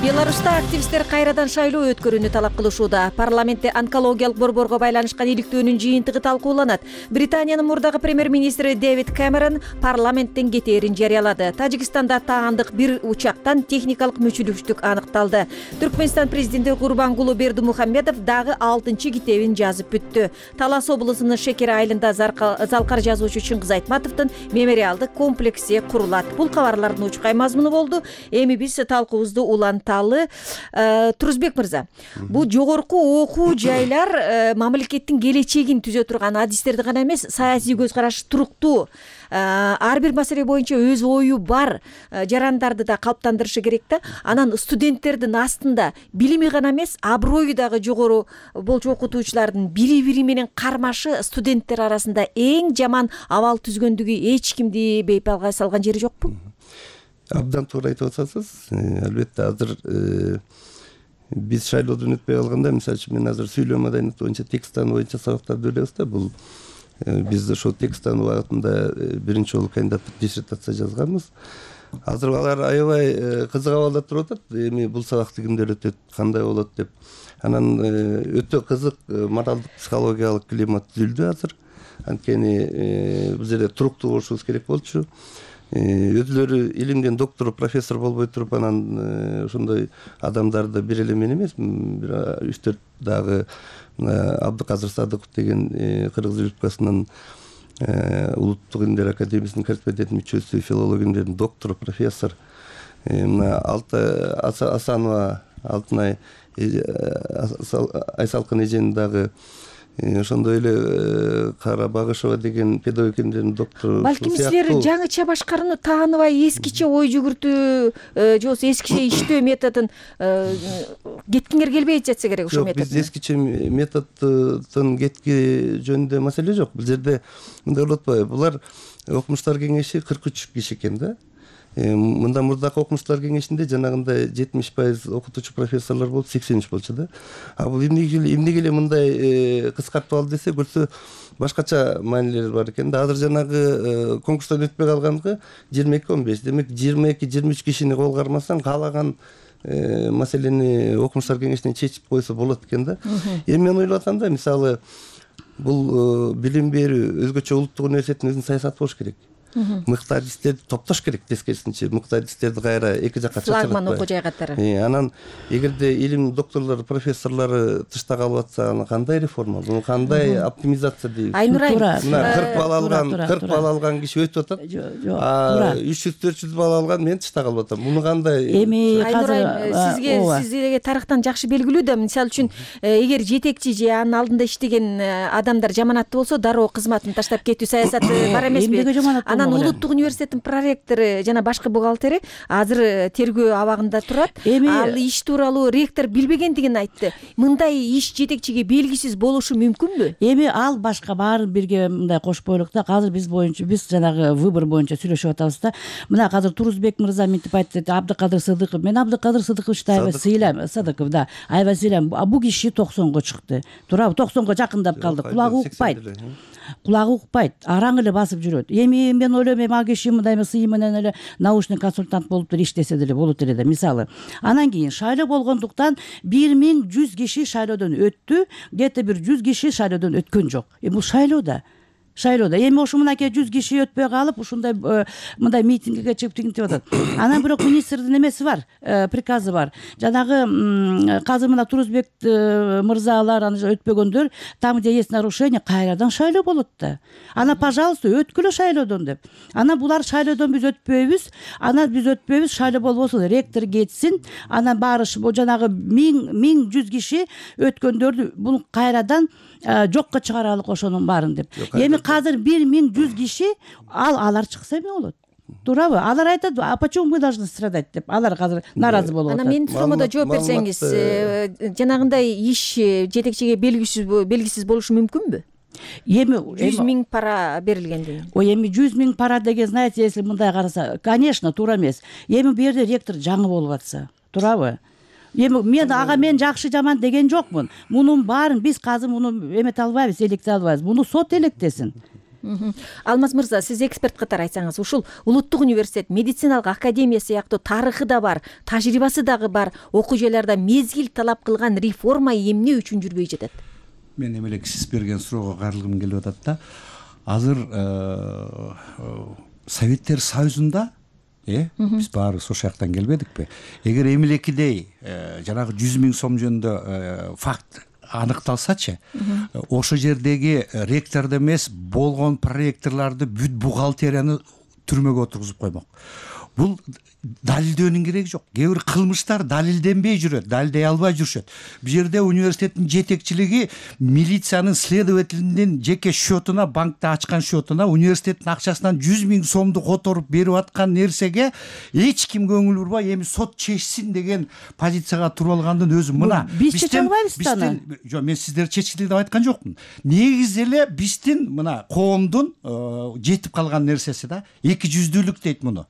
Беларуста активисттер кайрадан шайлоо өткөрүүнү талап кылышууда. Парламентте онкологиялык борборго байланышкан иликтөөнүн жыйынтыгы талкууланат. Британиянын мурдагы премьер-министри Дэвид Кэмерон парламенттен кетээрин жарыялады. Тажикстанда таандык бир учактан техникалык мүчүлүштүк аныкталды. Түркмөнстан президенти Гурбангулу Бердимухамедов дагы алтынчы китебин жазып бүттү. Талас облусунун Шекер айылында залкар жазуучу Чыңгыз Айтматовдун мемориалдык комплекси курулат. Бул кабарлардын учкай мазмуну болду. Эми биз талкуубузду уланталы. Турузбек мырза, бул жогорку окуу жайлар мамлекеттин келечегин түзө турган адистерди гана эмес, саясий көз караш туруктуу, ар бир маселе боюнча өз ою бар жарандарды да калыптандырышы керек да. Анан студенттердин астында билими гана эмес, аброю дагы жогору болчу окутуучулардын бири-бири менен кармашы студенттер арасында эң жаман абал түзгөндүгү эч кимди бейпалга салган жери жокпу? Абдан туура айтып атасыз. Албетте азыр биз шайлоодон өтпөй калганда, мисалы үчүн мен азыр сүйлөө маданият боюнча текстан боюнча сабактарды беребиз да. Бул биз ошол текстан убагында биринчи жолу кандидаттык диссертация жазганбыз. Азыр алар аябай кызык абалда туруп атат. Эми бул сабакты кимдер өтөт, кандай болот деп. Анан өтө кызык моралдык психологиялык климат түзүлдү азыр. Анткени бул жерде туруктуу болушубуз керек болчу. Өзлөрү илимден доктор, профессор болбой туруп, анан ошондой адамдарды бир эле мен эмес, бир үч төрт дагы Абдыказыр Садыков деген Кыргыз Республикасынын Улуттук илимдер академиясынын корреспондент мүчөсү, филология илимдеринин доктору, профессор мына Асанова Алтынай Айсалкын эжени дагы ошондой эле Карабагышева деген педагогика илимдеринин доктору. Балким силер жаңыча башкарууну тааныбай, эскиче ой жүгүртүү же болбосо эскиче иштөө методун кеткиңер келбей жатса керек ошол метод. Жок, биз эскиче методдун кетки жөнүндө маселе жок. Бул жерде мындай болуп атпайбы? Булар окумуштар кеңеши кырк үч киши экен да. Мында мурдакы окумуштар кеңешинде жанагындай жетимиш пайыз окутуучу профессорлор болуп, сексен үч болчу да. А бул эмнеге эмнеге эле мындай кыскартып алды десе, көрсө башкача маанилери бар экен да. Азыр жанагы конкурстан өтпөй калганга жыйырма эки он беш, демек жыйырма эки жыйырма үч кишини кол кармасаң, каалаган маселени окумуштар кеңешинен чечип койсо болот экен да. Эми мен ойлоп атам да, мисалы бул билим берүү өзгөчө улуттук университеттин өзүнүн саясаты болуш керек. мыкты адистерди топтош керек, тескерисинче мыкты адистерди кайра эки жакка чачыратпай. Флагман окуу жай катары. Анан эгерде илим докторлору, профессорлору тышта калып атса, аны кандай реформа, буну кандай оптимизация дейбиз? Айнур мына кырк бала алган, кырк бала алган киши өтүп атат. А үч жүз төрт жүз бала алган мен тышта калып атам. Муну кандай? Эми азыр сизге сизге тарыхтан жакшы белгилүү да, мисалы үчүн эгер жетекчи же анын алдында иштеген адамдар жаманаттуу болсо, дароо кызматын таштап кетүү саясаты бар эмеспи? Анан улуттук университеттин проректору жана башкы бухгалтери азыр тергөө абагында турат. Ал иш тууралуу ректор билбегендигин айтты. Мындай иш жетекчиге белгисиз болушу мүмкүнбү? Эми ал башка баарын бирге мындай кошуп коелук да. Азыр биз боюнча биз жанагы выбор боюнча сүйлөшүп атабыз да. Мына азыр Турузбек мырза мынтип айтты, Абдыкадыр Сыдыков. Мен Абдыкадыр Сыдыковичти аябай сыйлайм, Сыдыков да. Аябай сыйлайм. Бул киши токсонго чыкты. Туурабы? токсонго жакындап калды. Кулагы укпайт. Кулагы укпайт, араң эле басып жүрөт. Эми мен ойлойм, эми ал киши мындай сый менен эле научный консультант болуп деле иштесе деле болот эле да, мисалы. Анан кийин шайлоо болгондуктан бир миң жүз киши шайлоодон өттү, где то бир жүз киши шайлоодон өткөн жок. Эми бул шайлоодо шайлоодо эми ошо мынакей жүз киши өтпөй калып ушундай мындай митингге чыгып тигинтип атат. Анан бирок министрдин эмеси бар, приказы бар. Жанагы азыр мына Турузбек мырзалар аны өтпөгөндөр там где есть нарушение кайрадан шайлоо болот да. Ана пожалуйста өткүлө шайлоодон деп. Анан булар шайлоодон биз өтпөйбүз, анан биз өтпөйбүз, шайлоо болбосун, ректор кетсин, анан баары жанагы миң миң жүз киши өткөндөрдү бул кайрадан жокко чыгаралык ошонун баарын деп. Эми азыр бир миң жүз киши ал алар чыкса эме болот? Туурабы? Алар айтат, а почему мы должны страдать деп. Алар азыр нааразы болуп атат. Анан менин суроомдо жооп берсеңиз, жанагындай иш жетекчиге белгисиз белгисиз болушу мүмкүнбү? Эми жүз миң пара берилгенден. Ой, эми жүз миң пара деген, знаете, если мындай караса, конечно, туура эмес. Эми бу жерде ректор жаңы болуп атса, туурабы? Эми мен ага мен жакшы жаман деген жокмун. Мунун баарын биз азыр муну эмете албайбыз, электе албайбыз. Муну сот электесин. Алмаз мырза, сиз эксперт катары айтсаңыз, ушул улуттук университет, медициналык академия сыяктуу тарыхы да бар, тажрыйбасы дагы бар окуу жайларда мезгил талап кылган реформа эмне үчүн жүрбөй жатат? Мен эми эле сиз берген суроого кайрылгым келип атат да. Азыр Советтер Союзунда э биз баарыбыз ошол жактан келбедикпи? Эгер эмилекидей жанагы жүз миң сом жөнүндө факт аныкталсачы, ошол жердеги ректорду эмес, болгон проректорлорду бүт бухгалтерияны түрмөгө отургузуп коймок. Бул далилдөөнүн кереги жок. Кээ бир кылмыштар далилденбей жүрөт, далилдей албай жүрүшөт. Бул жерде университеттин жетекчилиги милициянын следователинин жеке счетуна, банкта ачкан счетуна университеттин акчасынан жүз миң сомду которуп берип аткан нерсеге эч ким көңүл бурбай эми сот чечсин деген позицияга туруп алгандын өзү мына. Биз чече албайбыз да аны. Жок, мен сиздер чечкиле деп айткан жокмун. Негизи эле биздин мына коомдун жетип калган нерсеси да, эки жүздүүлүк дейт муну.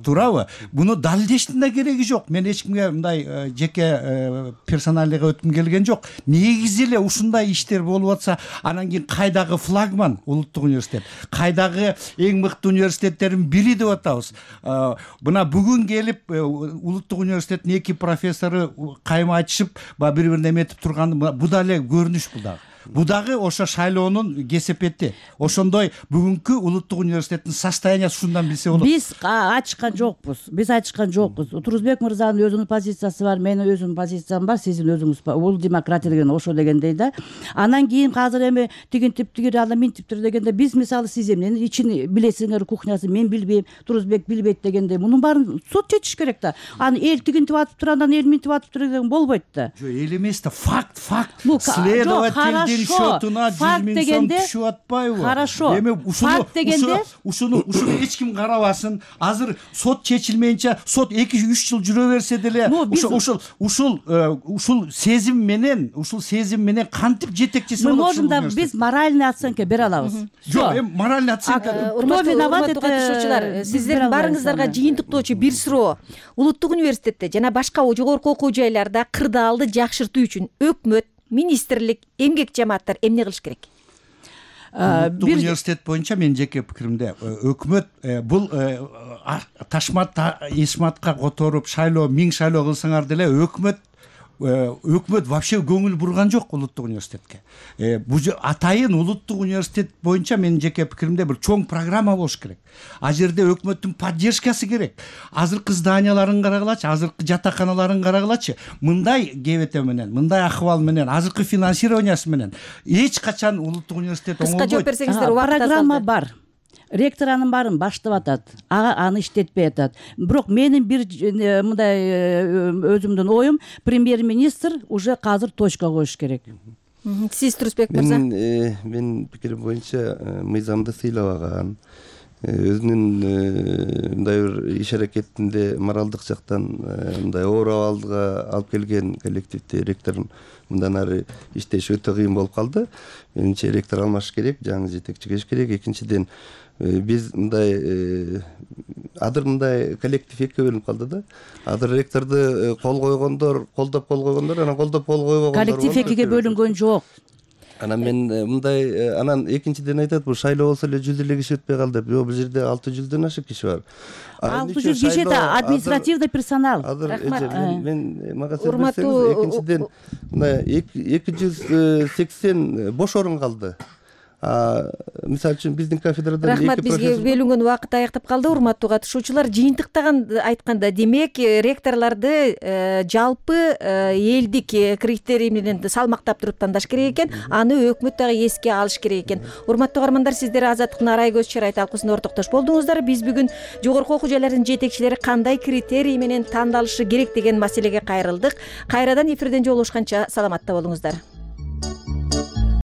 Туурабы? Буну далилдештин да кереги жок. Мен эч кимге мындай жеке персоналдыга өткүм келген жок. Негизи эле ушундай иштер болуп атса, анан кийин кайдагы флагман улуттук университет, кайдагы эң мыкты университеттердин бири деп атабыз. Мына бүгүн келип улуттук университеттин эки профессору кайма айтышып, бири-бирине эметип турган, бу да эле көрүнүш бул дагы. Бу дагы ошо шайлоонун кесепети. Ошондой бүгүнкү улуттук университеттин состояниясы ушундан билсе болот. Биз ачкан жокпуз. Биз ачкан жокпуз. Турузбек мырзанын өзүнүн позициясы бар, менин өзүмдүн позициям бар, сиздин өзүңүз бар. Бул демократия деген ошо дегендей да. Анан кийин азыр эми тигинтип тигир анда минтиптир дегенде биз мисалы сиз эмнени ичин билесиңер, кухнясын мен билбейм, Турузбек билбейт дегенде мунун баарын сот чечиш керек да. Аны эл тигинтип атып тур, андан эл минтип атып тур деген болбойт да. Жок, эл эмес да, факт, факт. Следователь счетуна жүз миң сом түшүп атпайбы? Хорошо. Эми ушуну ушуну ушуну эч ким карабасын. Азыр сот чечилмейинче сот эки үч жыл жүрө берсе деле ушул ушул ушул ушул сезим менен, ушул сезим менен кантип жетекчиси болот? Мы можем да биз моральный оценка бере алабыз. Жок, эми моральный оценка. Урматтуу катышуучулар, сиздердин барыңыздарга жыйынтыктоочу бир суроо. Улуттук университетте жана башка жогорку окуу жайларда кырдаалды жакшыртуу үчүн өкмөт, министрлик, эмгек жамааттар эмне кылыш керек? Улуттук университет боюнча менин жеке пикиримде өкмөт бул ташмат эсматка которуп шайлоо, миң шайлоо кылсаңар деле өкмөт өкмөт вообще көңүл бурган жок улуттук университетке. Бул атайын улуттук университет боюнча менин жеке пикиримде бир чоң программа болуш керек. А жерде өкмөттүн поддержкасы керек. Азыркы зданияларын карагылачы, азыркы жатаканаларын карагылачы. Мындай кебете менен, мындай акыбал менен, азыркы финансированиясы менен эч качан улуттук университет оңолбойт. Кыска жооп берсеңиздер, убакыт аз программа бар. Ректор анын баарын баштап атат, ага аны иштетпей атат. Бирок менин бир мындай өзүмдүн оюм, премьер-министр уже казыр точка коюш керек. Сиз Турусбек мырза? Мен менин пикирим боюнча мыйзамды сыйлабаган, өзүнүн мындай бир иш аракетинде моралдык жактан мындай оор абалга алып келген коллективди ректордун мындан ары иштеши өтө кыйын болуп калды. Менимче ректор алмаш керек, жаңы жетекчи келиш керек. Экинчиден биз мындай адыр мындай коллектив экиге бөлүнүп калды да. Адыр ректорду кол койгондор, колдоп кол койгондор, анан колдоп кол койбогондор. Коллектив экиге бөлүнгөн жок. Анан мен мындай, анан экинчиден айтат, бул шайлоо болсо эле жүз элүү киши өтпөй калды деп. Жок, бул жерде алты жүздөн ашык киши бар. алты жүз киши это административный персонал. Рахмат. Мен мага сөз берсеңиз, экинчиден мындай эки жүз сексен бош орун калды. Мисалы үчүн биздин кафедрадан Рахмат, бизге бөлүнгөн убакыт аяктап калды. Урматтуу катышуучулар, жыйынтыктаган айтканда, демек ректорлорду жалпы элдик критерий менен салмактап туруп тандаш керек экен. Аны өкмөт дагы эске алыш керек экен. Урматтуу каармандар, сиздер Азаттыктын Арай көз чырай талкуусунда ортоктош болдуңуздар. Биз бүгүн жогорку окуу жайлардын жетекчилери кандай критерий менен тандалышы керек деген маселеге кайрылдык. Кайрадан эфирден жолугушканча саламатта болуңуздар.